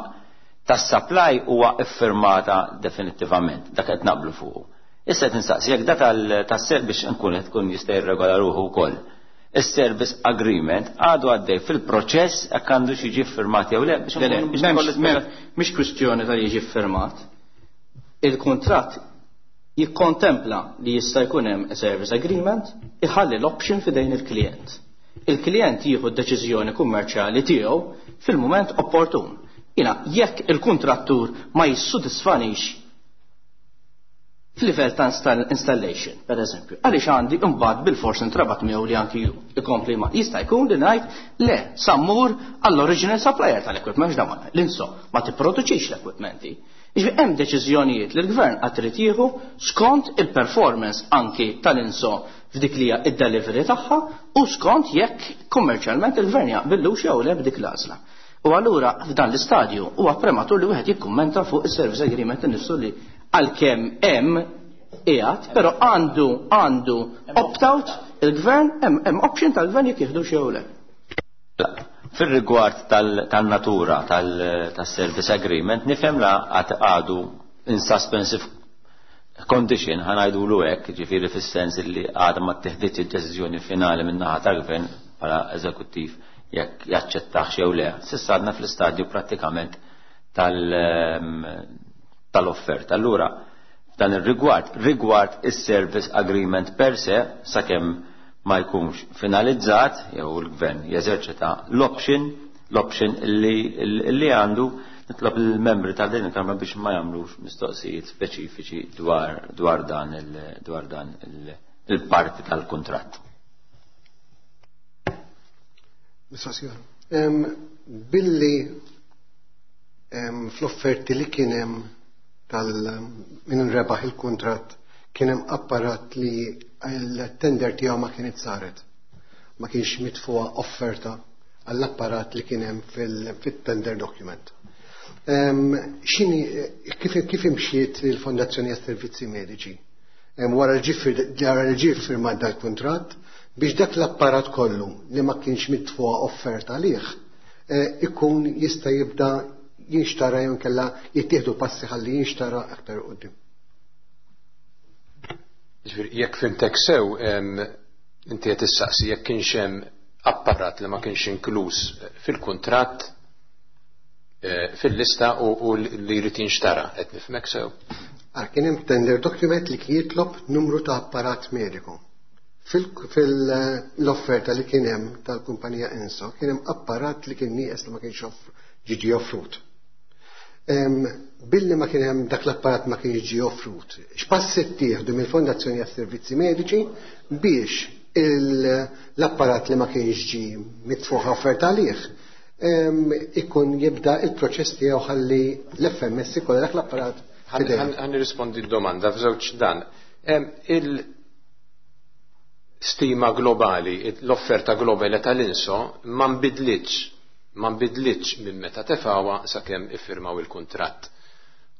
A: tas-supply huwa iffirmata definittivament, dak qed naqblu fuq. Issa qed nistaqsi jekk da tas-ser biex nkun qed tkun jista' jirregola ruħu wkoll. Is-service agreement għadu għaddej fil-proċess jekk għandu jiġi firmat jew le biex
C: Mhix kwistjoni ta' jiġi firmat. Il-kuntratt jikkontempla li jista' jkun hemm service agreement, iħalli l-option f'idejn il-klient. Il-klient jieħu d-deċiżjoni kummerċjali tiegħu fil-mument opportun. Jiena, jekk il-kontrattur ma jissodisfanix f'livell ta' installation, per eżempju, għaliex għandi imbagħad bil-fors intrabat miegħu li anki ju ikompli ma jista' jkun li ngħid le sa mmur għall-original supplier tal-equipment, x'dawn l-INSO ma tipproduċix l-equipmenti. Jiġifieri hemm deċiżjonijiet li l-gvern qatt irid jieħu skont il-performance anki tal-INSO f'dik li hija id-delivery tagħha u skont jekk kummerċjalment il-gvern jaqbillux jew le b'dik l-għażla. U allura f'dan l-istadju huwa prematur li wieħed jikkummenta fuq is-service agreement innifsu li għalkemm hemm qiegħed, però għandu għandu opt-out il-gvern, hemm option tal-gvern jekk jieħdu jew le.
A: Fil-rigward tal-natura tal-service agreement, nifhem la għadu in suspensive condition, ħa ngħidu hekk, ġifieri fis-sens li għadha ma teħdiċ id-deċiżjoni finali minn naħa tal-gvern bħala eżekuttiv jekk jaċċettax jew le. S'issa għadna fl-istadju prattikament tal-offerta. Allura, f'dan ir-rigward, rigward is-service agreement per se, sakemm ma jkunx finalizzat jew il-gvern jeżerċita l-option l-option li, li għandu, nitlob il-membri tal din il-Kamra biex ma jagħmlux mistoqsijiet speċifiċi dwar, dwar dan il, dwar dan il-parti tal-kuntratt.
F: Mistoqsija. Billi fl-offerti li kien hemm tal min rebaħ il-kuntratt kien hemm apparat li l-tender tiegħu ma kienet saret. Ma kienx mitfuha offerta għall-apparat li kien hemm fil-tender document. X'inhi kif kif imxiet il-Fondazzjoni għas-Servizzi Mediċi? Wara l-ġie firmat dal-kuntratt biex dak l-apparat kollu li ma kienx mitfuha offerta għalih ikun jista' jibda jinxtara jew inkella jittieħdu passi ħalli jinxtara aktar quddiem.
E: Ġifieri jekk fhimtek sew, inti qed issaqsi jekk kienx hemm apparat li ma kienx inkluż fil-kuntratt fil-lista u li jrid jinxtara, qed nifhmek sew?
F: Ah, kien hemm tender document li kien jitlob numru ta' apparat mediku. Fil-offerta li kien hemm tal-kumpanija Enso kien hemm apparat li kien nieqes li ma kienx ġiġi offrut. Billi ma kien hemm dak l-apparat ma kienx ġie offrut, x'passi ttieħdu mill-Fondazzjoni għas-Servizzi Mediċi biex l-apparat li ma kienx ġie mitfuħ offerta għalih ikun jibda il-proċess tiegħu ħalli l-F M S ikollha dak l-apparat.
E: Ħa nirrispondi d-domanda f'żewġ dan. Il-stima globali, l-offerta globali tal-Inso ma nbidlitx, ma nbidlitx minn meta tefgħuha sakemm iffirmaw il-kuntratt.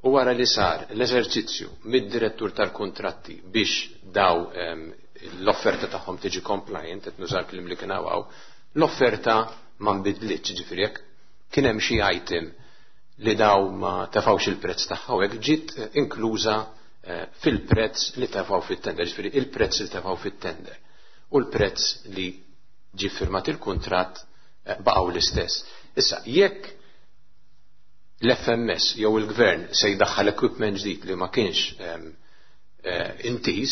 E: U wara li sar l-eżerċizzju mid-direttur tal-kontratti biex daw l-offerta tagħhom tiġi compliant, qed nużar kliem li kien hawn, l-offerta ma nbidlitx, ġifieri jekk kien hemm xi item li daw ma tefgħux il-prezz tagħha hekk ġiet inkluża fil-prezz li tefgħu fit-tender, ġifieri il-prezz li tefgħu fit-tender u l-prezz li ġie firmat il-kuntratt baqgħu l-istess. Issa, jekk l-F M S jew il-gvern se jdaħħal equipment ġdid li ma kienx intiż,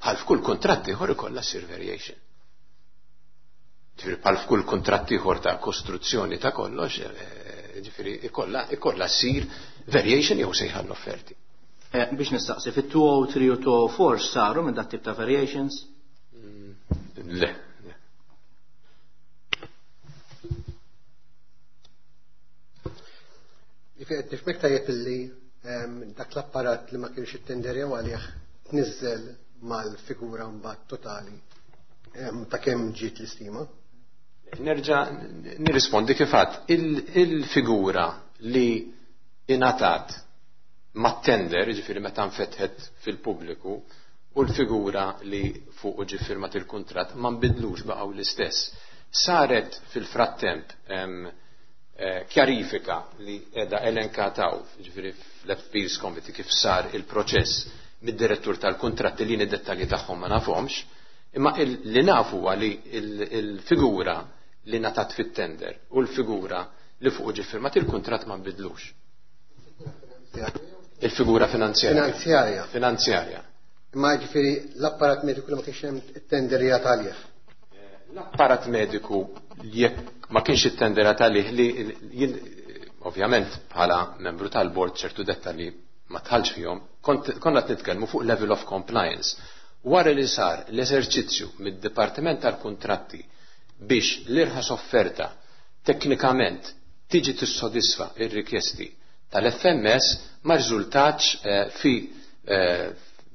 E: bħal f'kull kuntratt ieħor ikollha ssir variation. Ġifieri bħal f'kull kuntratt ieħor ta' kostruzzjoni ta' kollox, ġifieri ikollha ikollha ssir variation jew sejħa l-offerti.
C: Biex nistaqsi, fit-two oh three u two oh four saru minn dat tip ta' variations?
E: Le.
F: Ġifieri qed nifhmek tajjeb illi dak l-apparat li ma kienx ittenderjaw għalih tniżżel mal-figura mbagħad totali ta' kemm ġiet l-istima?
E: Nerġa' nirrispondi kif għedt. Il-figura li ingħatat mat-tender, ġifieri meta nfetħet fil-pubbliku, u l-figura li fuq ġie firmat il-kuntratt ma nbidlux, baqgħu l-istess. Saret fil-frattemp kjarifika li qiegħda elenkataw, ġifieri fl-Appeals Committee kif sar il-proċess mid-direttur tal-kontratti li id-dettalji tagħhom ma nafhomx, imma li nafu huwa li il-figura li ngħatat fit-tender u l-figura li fuq ġie firmat il-kuntratt ma nbidlux. Il-figura finanzjarja.
F: Finanzjarja.
E: Finanzjarja.
F: Imma ġifieri l-apparat mediku li ma kienx hemm it-tenderjat għalih.
E: L-apparat mediku jekk ma kienx it-tenderat għalih li jien ovvjament bħala membru tal-bord ċertu dettalji ma dħaltx fihom, konna qed nitkellmu fuq level of compliance. Wara li sar l-eżerċizzju mid-Dipartiment tal-Kuntratti biex l-irħas offerta teknikament tiġi tissodisfa ir-rikjesti tal-F M S ma riżultatx fi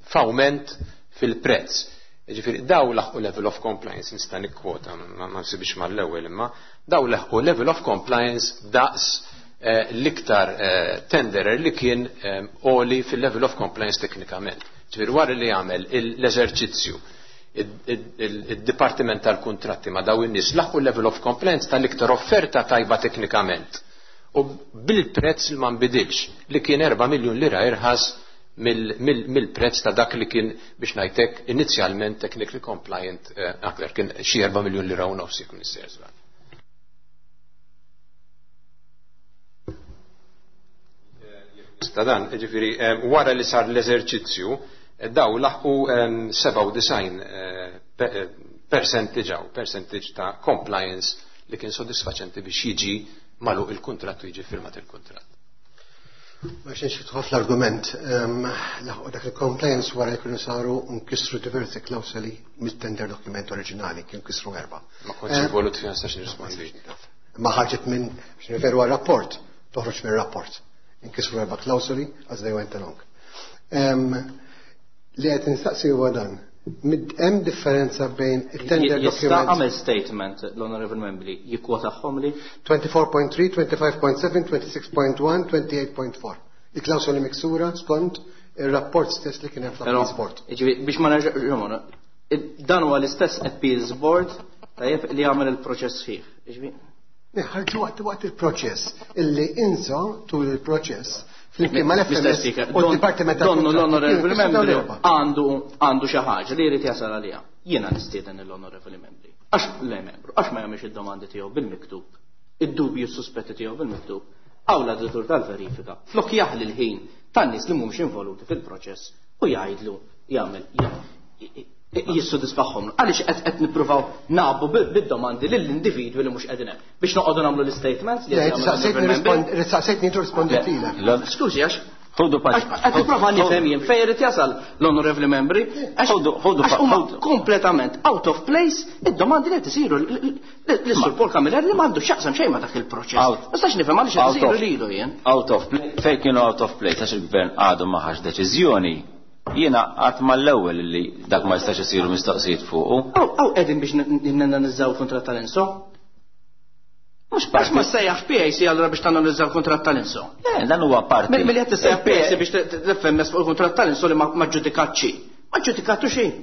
E: f'awment fil-prezz. Ġifieri daw laħqu level of compliance, nista' nikkwota, ma nsibix mal-ewwel imma, daw laħqu level of compliance daqs l-iktar tenderer li kien għoli fil-level of compliance teknikament. Ġifieri wara li għamel l-eżerċizzju id-Dipartiment tal-Kuntratti ma daw in-nies laħqu level of compliance tal-iktar offerta tajba teknikament. U bil-prezz li ma nbidilx li kien erba' miljun lira irħas mill-prezz ta' dak li kien biex ngħidlek inizjalment technically compliant aktar kien xi erba' miljun lira u nofs jekk nissejjer żball. Ta' dan, ġifieri, wara li sar l-eżerċizzju, daw laħqu sebgħa u disgħin percentage għaw, percentage ta' compliance li kien sodisfaċenti biex jiġi magħluq il-kuntratt u jiġi firmat il-kuntratt.
F: Ma xejn xi fl-argument, laħqu dak il-compliance wara li kienu saru nkisru diversi klawsoli mit-tender document oriġinali, kienu kisru erba.
E: Ma kontx involut fiha, nistax nirrispondi.
F: Ma ħarġet minn, biex nirreferu għal rapport, Toħroġ mir-rapport. Inkisru erba' klawsoli as they went along. Em, Li qed nistaqsi huwa dan. Mid- Hemm differenza bejn it-tender
C: Jista'
F: document
C: għamel statement l-Honorable Membri jikkwotahom li
F: twenty-four point three, twenty-five point seven, twenty-six point one, twenty-eight point four. Il-klawsoli miksura skont il-rapport stess li kien hemm
C: Però,
F: fl-Appeals Board.
C: Ġifieri, biex ma nerġa', dan huwa l-istess Appeals Board, tajjeb, li għamel il-proċess sħiħ. Ġifieri,
F: Ħarġu waqt waqt il-proċess illi INSO tul il-proċess flimkien
C: Mister
F: mal-F M S
C: Speaker,
F: u d-Dipartiment
C: donnu
F: tal-Kontratti
C: l-Honorable
F: kienu kisru dawn
C: Membri
F: l-erba'.
C: għandu għandu xi ħaġa li jrid jasal għaliha. Jiena nistieden l-Honorable Membri. Għax le membru, għax ma jagħmilx id-domandi tiegħu bil-miktub, id-dubju s-suspetti tiegħu bil-miktub, għaw l-auditur tal-verifika, flok jaħli l-ħin tan-nies li mhumiex involuti fil-proċess u jgħidlu jagħmel jissodisfaħħom. Għaliex qed qed nippruvaw nagħbu bid-domandi lill-individwi li mhux qegħdin hemm biex noqogħdu nagħmlu l-statements li
F: Le,
C: qed jagħmlu
F: Saqsejtni
C: l-Honorable
F: rispond-
C: Membri.
F: saqsejtni tu risponditilek.
C: Skużi, għax
A: Ħudu
C: Għax qed nipprova nifhem jien fejn irid jasal l-onorevoli membri, għax
A: Ħudu- ħudu
C: għax huma
A: ħudu.
C: kompletament out of place id-domandi li qed isiru l-Sur Paul Camilleri li m'għandu x'jaqsam xejn ma' dak il-proċess.
A: Out.
C: Ma nistax nifhem għaliex qed
A: Out
C: isiru
A: of-
C: lilu jien.
A: Out of place, fejn kienu out of place, għax il-gvern għadu ma ħax deċiżjoni. Jiena għat mal-ewwel li dak ma jistax isiru mistoqsijiet fuqu.
C: Aw aw qegħdin biex nanalizzaw kuntratt tal-INSO.
A: Mhux
C: Għax ma
A: parti.
C: sejjaħ P A C allura biex tanalizzaw kuntratt tal-INSO.
A: Le, dan huwa parti.
C: Milli qed tissejjaħ P A C biex l-F M S fuq il-kuntratt tal-INSO li ma ma ġġudikat xi. Ma ġġudikatu xejn.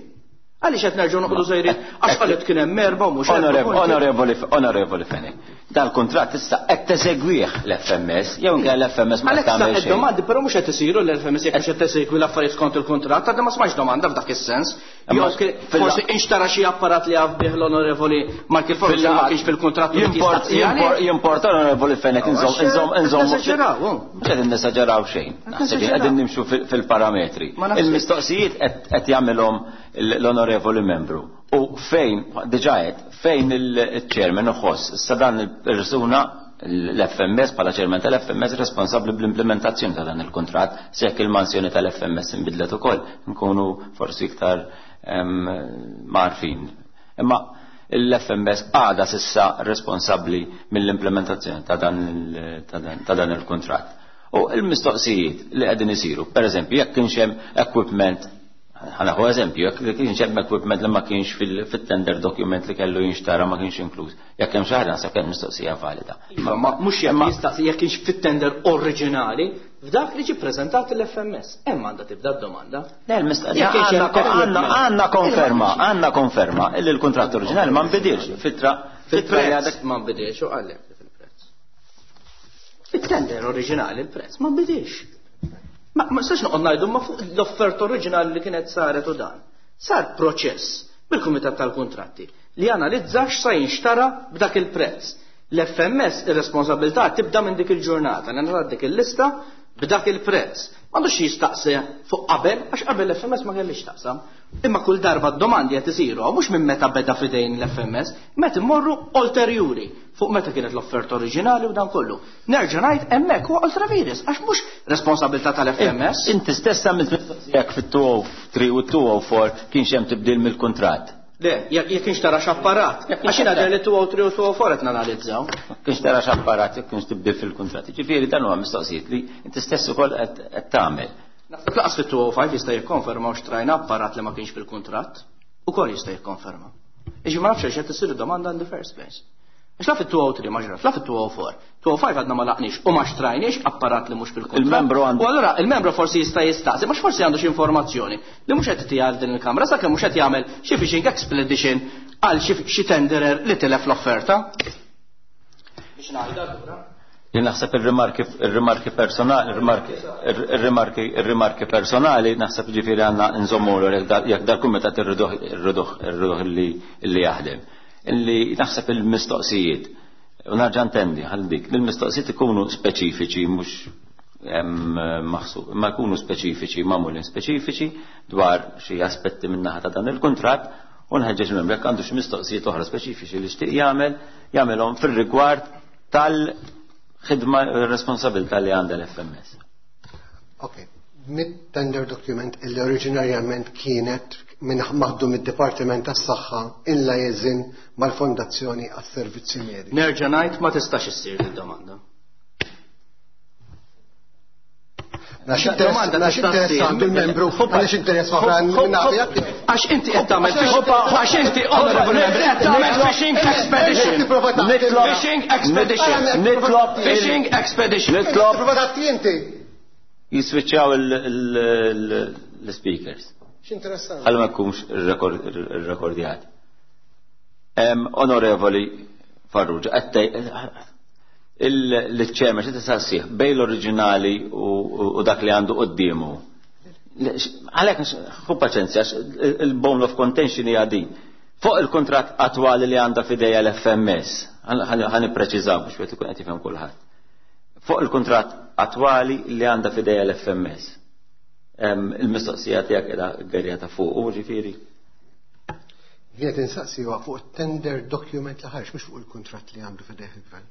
C: Għaliex qed nerġgħu noqogħdu sejrin għax qalet kien hemm erba' u mhux erba'
A: Onorevoli,
C: punti.
A: Onorevoli, onorevoli Fenech, dal-kontrat issa qed teżegwih l-F M S, jew inkella l-F M S ma
C: Għalhekk
A: tagħmel
C: sa
A: xejn.
C: Domandi però mhux qed isiru l-F M S jekk mhux qed tesegwi l-affarijiet skont il-kuntratt, għadha ma smajx domanda f'dak is-sens.
A: Imma
C: Jew kien-
A: fil-
C: forsi inxtara xi apparat li għaf bih l-onorevoli Michael Farrugia ma kienx fil-kuntratt u li
A: Jimport,
C: jistaqsi għalih.
A: jimport, jimport, onorevoli Fenech, inżom, inżom, inżom.
C: Nesaġeraw, oh.
A: Mhux qegħdin nesaġeraw xejn. Naħseb
C: Nesaġeraw.
A: qegħdin nimxu fil- fil-parametri.
C: Ma naħseb-
A: Il-mistoqsijiet qed qed jagħmilhom l-onorevoli membru. U fejn, diġà qed, fejn il-chairman uħoss, issa dan il-persuna l-F M S bħala chairman tal-F M S responsabbli bl-implementazzjoni ta' dan il-kuntratt, se jekk il-mansjoni tal-F M S inbidlet ukoll, nkunu forsi iktar em, marfin. Imma l-F M S għada s'issa responsabbli mill-implementazzjoni ta' dan il- ta' dan- ta' dan il-kuntratt. U il-mistoqsijiet li qegħdin isiru, per eżempju, jekk kienx hemm equipment, ħa nieħu eżempju, jekk kienx hemm equipment li ma kienx fil- fit-tender document li kellu jinxtara ma kienx inkluż. Jekk hemm xi ħaġa naħseb hemm mistoqsija valida.
C: Iva, ma mhux jekk jistaqsi jekk kienx fit-tender oriġinali, f'dak li ġi preżentat l-F M S. Hemm għandha tibda d-domanda.
A: Le, il-mistoqsija
C: Jekk kienx hemm
A: għandna
C: equipment.
A: għandna konferma, għandna konferma illi l-kuntratt oriġinali ma nbidilx fitra fitra li
C: Fil-prezz
A: għadek
C: ma nbidilx u għallek fil-prezz. Fit-tender oriġinali il-prezz ma nbidilx. Ma ma nistax noqgħod ngħidu ma fuq l-offerta oriġinali li kienet saret u dan. Sar proċess bil-Kumitat tal-Kuntratti li analizza x'sa jinxtara b'dak il-prezz. L-F M S ir-responsabilità tibda minn dik il-ġurnata, li dik il-lista b'dak il-prezz. M'għandux jistaqsi fuq qabel, għax qabel l-F M S ma kellix taqsam. Imma kull darba d-domandi qed isiru, mhux minn meta beda fidejn l-F M S, meta immorru ulterjuri fuq meta kienet l-offerta oriġinali u dan kollu. Nerġa' ngħid hemmhekk huwa ultra vires, għax mhux responsabilità tal-F M S.
A: Inti stess għamilt mistoqsija fit-two oh three u two oh four kienx hemm tibdil mill-kuntratt.
C: Le, jekk jekk kienx tara x'apparat. Għax jiena der li two oh three u two oh four qed nanalizzaw.
A: Kienx tara x'apparat jekk kienx tibdil fil-kuntratt. Ġifieri dan huwa mistoqsijiet li inti stess ukoll qed qed tagħmel.
C: Naħseb laqas fit-two oh five jista' jikkonferma u xtrajna apparat li ma kienx fil-kuntratt. Ukoll jista' jikkonferma. Iġi ma nafx qed isir domanda in the first place. Għax la fit-two oh three ma ġrat, la fit-two oh four. two oh five għadna ma laqniex u ma xtrajniex apparat li mhux fil-kuntratt.
A: Il-membru għandu-
C: U allura il-membru forsi jista' jistaqsi, mhux forsi għandu xi informazzjoni li mhux qed tgħid din il-kamra sakemm mhux qed jagħmel xi fishing expedition għal xi xi tenderer li tilef l-offerta. Biex ngħidha allura.
A: Jien naħseb ir-rimarki ir-rimarki personali, ir-rimarki ir-rimarki ir-rimarki personali naħseb ġifieri għandna nżommu jekk dal-kumitat irriduh irriduh irriduh li li jaħdem. Illi naħseb il-mistoqsijiet u nerġa' ntendi għal dik, il-mistoqsijiet ikunu speċifiċi mhux maħsub, ma jkunu speċifiċi, magħmulin speċifiċi dwar xi aspetti min-naħa ta' dan il-kuntratt u nħeġġeġ membru jekk għandu xi mistoqsijiet oħra speċifiċi li xtieq jagħmel, jagħmelhom fir-rigward tal-ħidma responsabilità li għandha l-F M S.
F: Ok, mid-tender document illi oriġinarjament kienet minn maħdum id-Dipartiment tas-Saħħa in liaison mal-Fondazzjoni għas-Servizzi Medici.
C: Nerġa' ngħid ma tistax issir id-domanda.
F: Għax interess għandu l-membru, għaliex interess oħra
C: Għax inti qed tagħmel għax inti honorable member qed tagħmel fishing expedition. Fishing expedition.
A: Nitlob
C: fishing expedition.
A: Nitlob
F: Prova tagħti inti.
A: Jiswiċċjaw l-speakers.
F: X'interessanti.
A: Ħalli ma jkunx irrekordjat. Onorevoli Farrugia, il-ċerma xi tisassih bejn l-oriġinali u dak li għandu quddiemu. Għalhekk ħu paċenzja, il-bone of contention hija din. Fuq il-kuntratt attwali li għandha f'idejha l-F M S, ħa nippreċiżaw biex wieħed ikun qed jifhem kulħadd. Fuq il-kuntratt attwali li għandha f'idejha l-F M S. Il-mistoqsija tiegħek qiegħda gerja ta' fuq, u ġifieri.
F: Jien qed insaqsi huwa fuq tender document li ħareġ, mhux fuq il-kuntratt li għandu f'idejh il-gvern.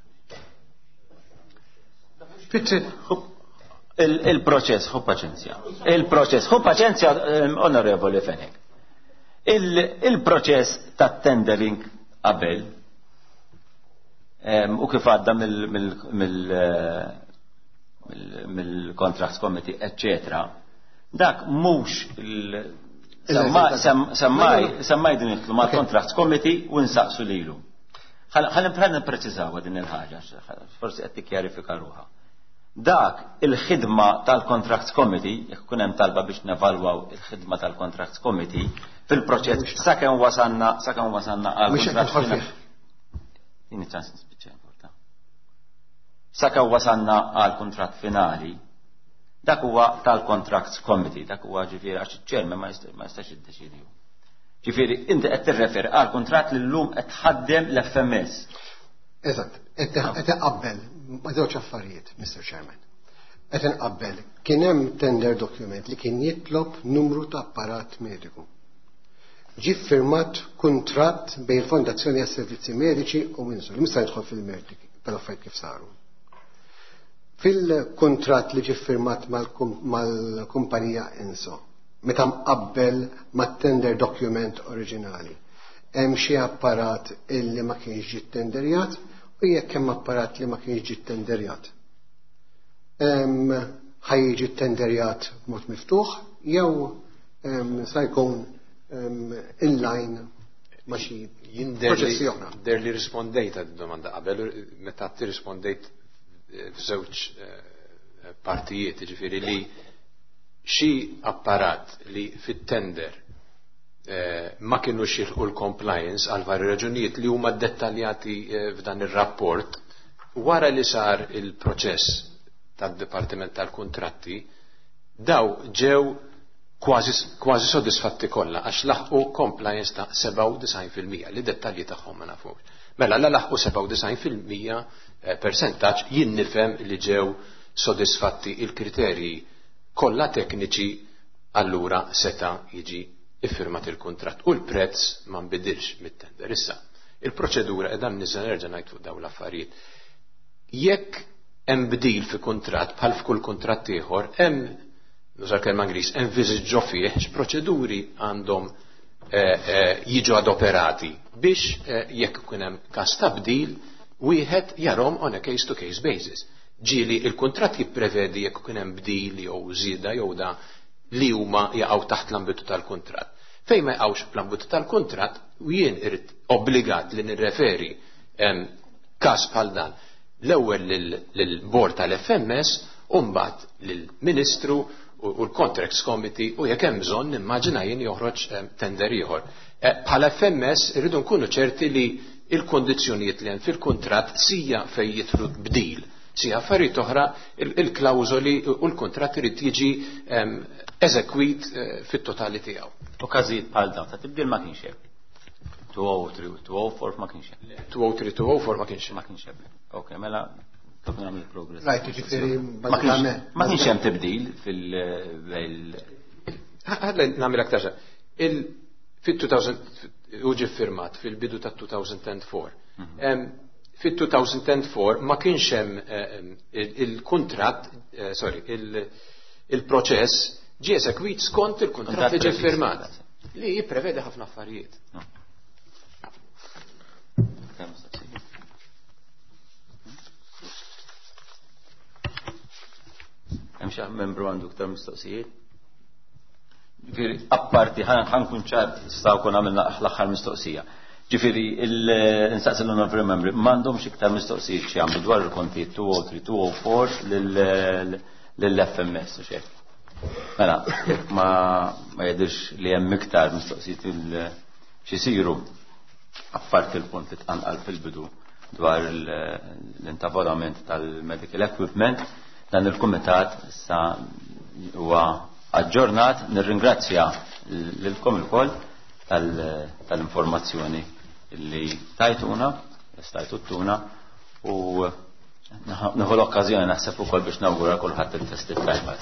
A: Il-proċess, ħu paċenzja. Il-proċess, ħu paċenzja, onorevoli Fenech. Il-proċess ta' tendering qabel u kif għadda mill-Contracts Committee, eccetera, dak mhux semmaj din it ma' Contracts Committee u nsaqsu lilu. Ħalli nippreċiżaw din il-ħaġa, forsi qed tikkjarifika ruħha. Dak il-ħidma tal-Contracts Committee, jekk ikun hemm talba biex nevalwaw il-ħidma tal-Contracts Committee fil-proċess sakemm wasanna sakemm wasanna għal
F: contratt.
A: Tini ċans nispiċċa importa. Sakemm wasanna għal kuntratt finali, dak huwa tal-Contracts Committee, dak huwa ġifieri għax iċ-chairman ma jistax jiddeċidi. Ġifieri inti qed tirreferi għal kuntratt li llum qed tħaddem l-F M S.
F: Eżatt, qed iqabbel ma' żewġ affarijiet, Mister Chairman. Qed inqabbel kien hemm tender document li kien jitlob numru ta' apparat mediku. Ġi firmat kuntratt bejn il-Fondazzjoni għas-Servizzi Mediċi u Windsor, li mista jidħol fil-merti tal-affarijiet kif saru. Fil-kuntratt li ġi firmat mal-kumpanija Inso, meta mqabbel mat-tender document oriġinali, hemm xi apparat illi ma kienx ġi tenderjat, u jekk hemm apparat li ma kienx ġi tenderjat, ħa jiġi tenderjat b'mod miftuħ jew sa jkun inline ma' xi proċessi oħra?
E: Der li rispondejt għad domanda qabel, meta tirrispondejt f'żewġ partijiet, ġifieri li xi apparat li fit-tender ma kienu jilħqu l-compliance għal vari raġunijiet li huma dettaljati f'dan ir-rapport, wara li sar il-proċess tad-Dipartiment tal-Kuntratti, daw ġew kważi, kważi sodisfatti kollha għax laħqu compliance ta' sebgħa u disgħin fil-mija li dettalji tagħhom ma nafux. Mela la laħqu sebgħa u disgħin fil-mija percentaġġ, jien nifhem li ġew sodisfatti il-kriterji kollha tekniċi, allura seta' jiġi iffirmat il-kuntratt u l-prezz ma nbidilx mit-tender. Issa, il-proċedura qiegħda nniżel, nerġa' ngħid fuq dawn l-affarijiet. Jekk hemm bdil fi kuntratt, bħal f'kull kuntratt ieħor, hemm, nuża kelma Ingliż, hemm viżiġ fih x'proċeduri għandhom jiġu adoperati biex jekk ikun hemm każ ta' bdil wieħed jarahom on a case to case basis. Ġieli il-kuntratt jipprevedi jekk ikun hemm bdil jew żieda jew da li huma jaqgħu taħt l-ambitu tal-kuntratt. Fejn ma jaqgħux fl-ambitu tal-kuntratt, u jien irid obbligat li nirreferi każ bħal dan l-ewwel lill-bord tal-F M S u mbagħad lill-Ministru u l-Contracts Committee, u jekk hemm bżonn nimmaġina jien joħroġ tender ieħor. Bħala F M S irridu nkunu ċerti li il-kondizzjonijiet li hemm fil-kuntratt, sija fejn jidħlu bdil, sija affarijiet oħra, il-klawżoli u l-kuntratt irid jiġi eżekwit fit-totali tiegħu.
A: U każijiet bħal dawn ta' tibdil ma kienx hemm. two oh three u two oh four ma kienx hemm.
E: two oh three, two oh four ma kienx hemm.
A: Ma kienx hemm. Ok, mela kif nagħmel progress.
F: Right, ġifieri
A: Ma kienx hemm tibdil fil
E: Ħalli nagħmel aktar. Fil-elfejn u ġie firmat fil-bidu ta' elfejn u erbgħa. Fil-elfejn u erbgħa ma kienx hemm il-kuntratt, sorry, il-proċess ġie eżekwit skont il-kuntratt li ġie firmat li jipprevede ħafna affarijiet.
A: Hemm xi membru għandu iktar mistoqsijiet? Ġifieri, apparti, ħa nkun ċar, issa wkoll għamilna l-aħħar mistoqsija. Ġifieri, nsaqsi l-onorevoli membri, m'għandhomx iktar mistoqsijiet xi jagħmlu dwar il-kontijiet two oh three, two oh four lill-F M S u xejn? Mela, ma ma jidhirx li hemm iktar mistoqsijiet x'isiru, apparti il-punt li tqanqal fil-bidu dwar l-intavolament tal-medical equipment, dan il-kumitat issa huwa aġġornat. Nirringrazzja lilkom ilkoll tal-informazzjoni li tajtuna, stajtuna, u nieħu l-okkażjoni naħseb ukoll biex nawgura kulħadd il-festi tajba.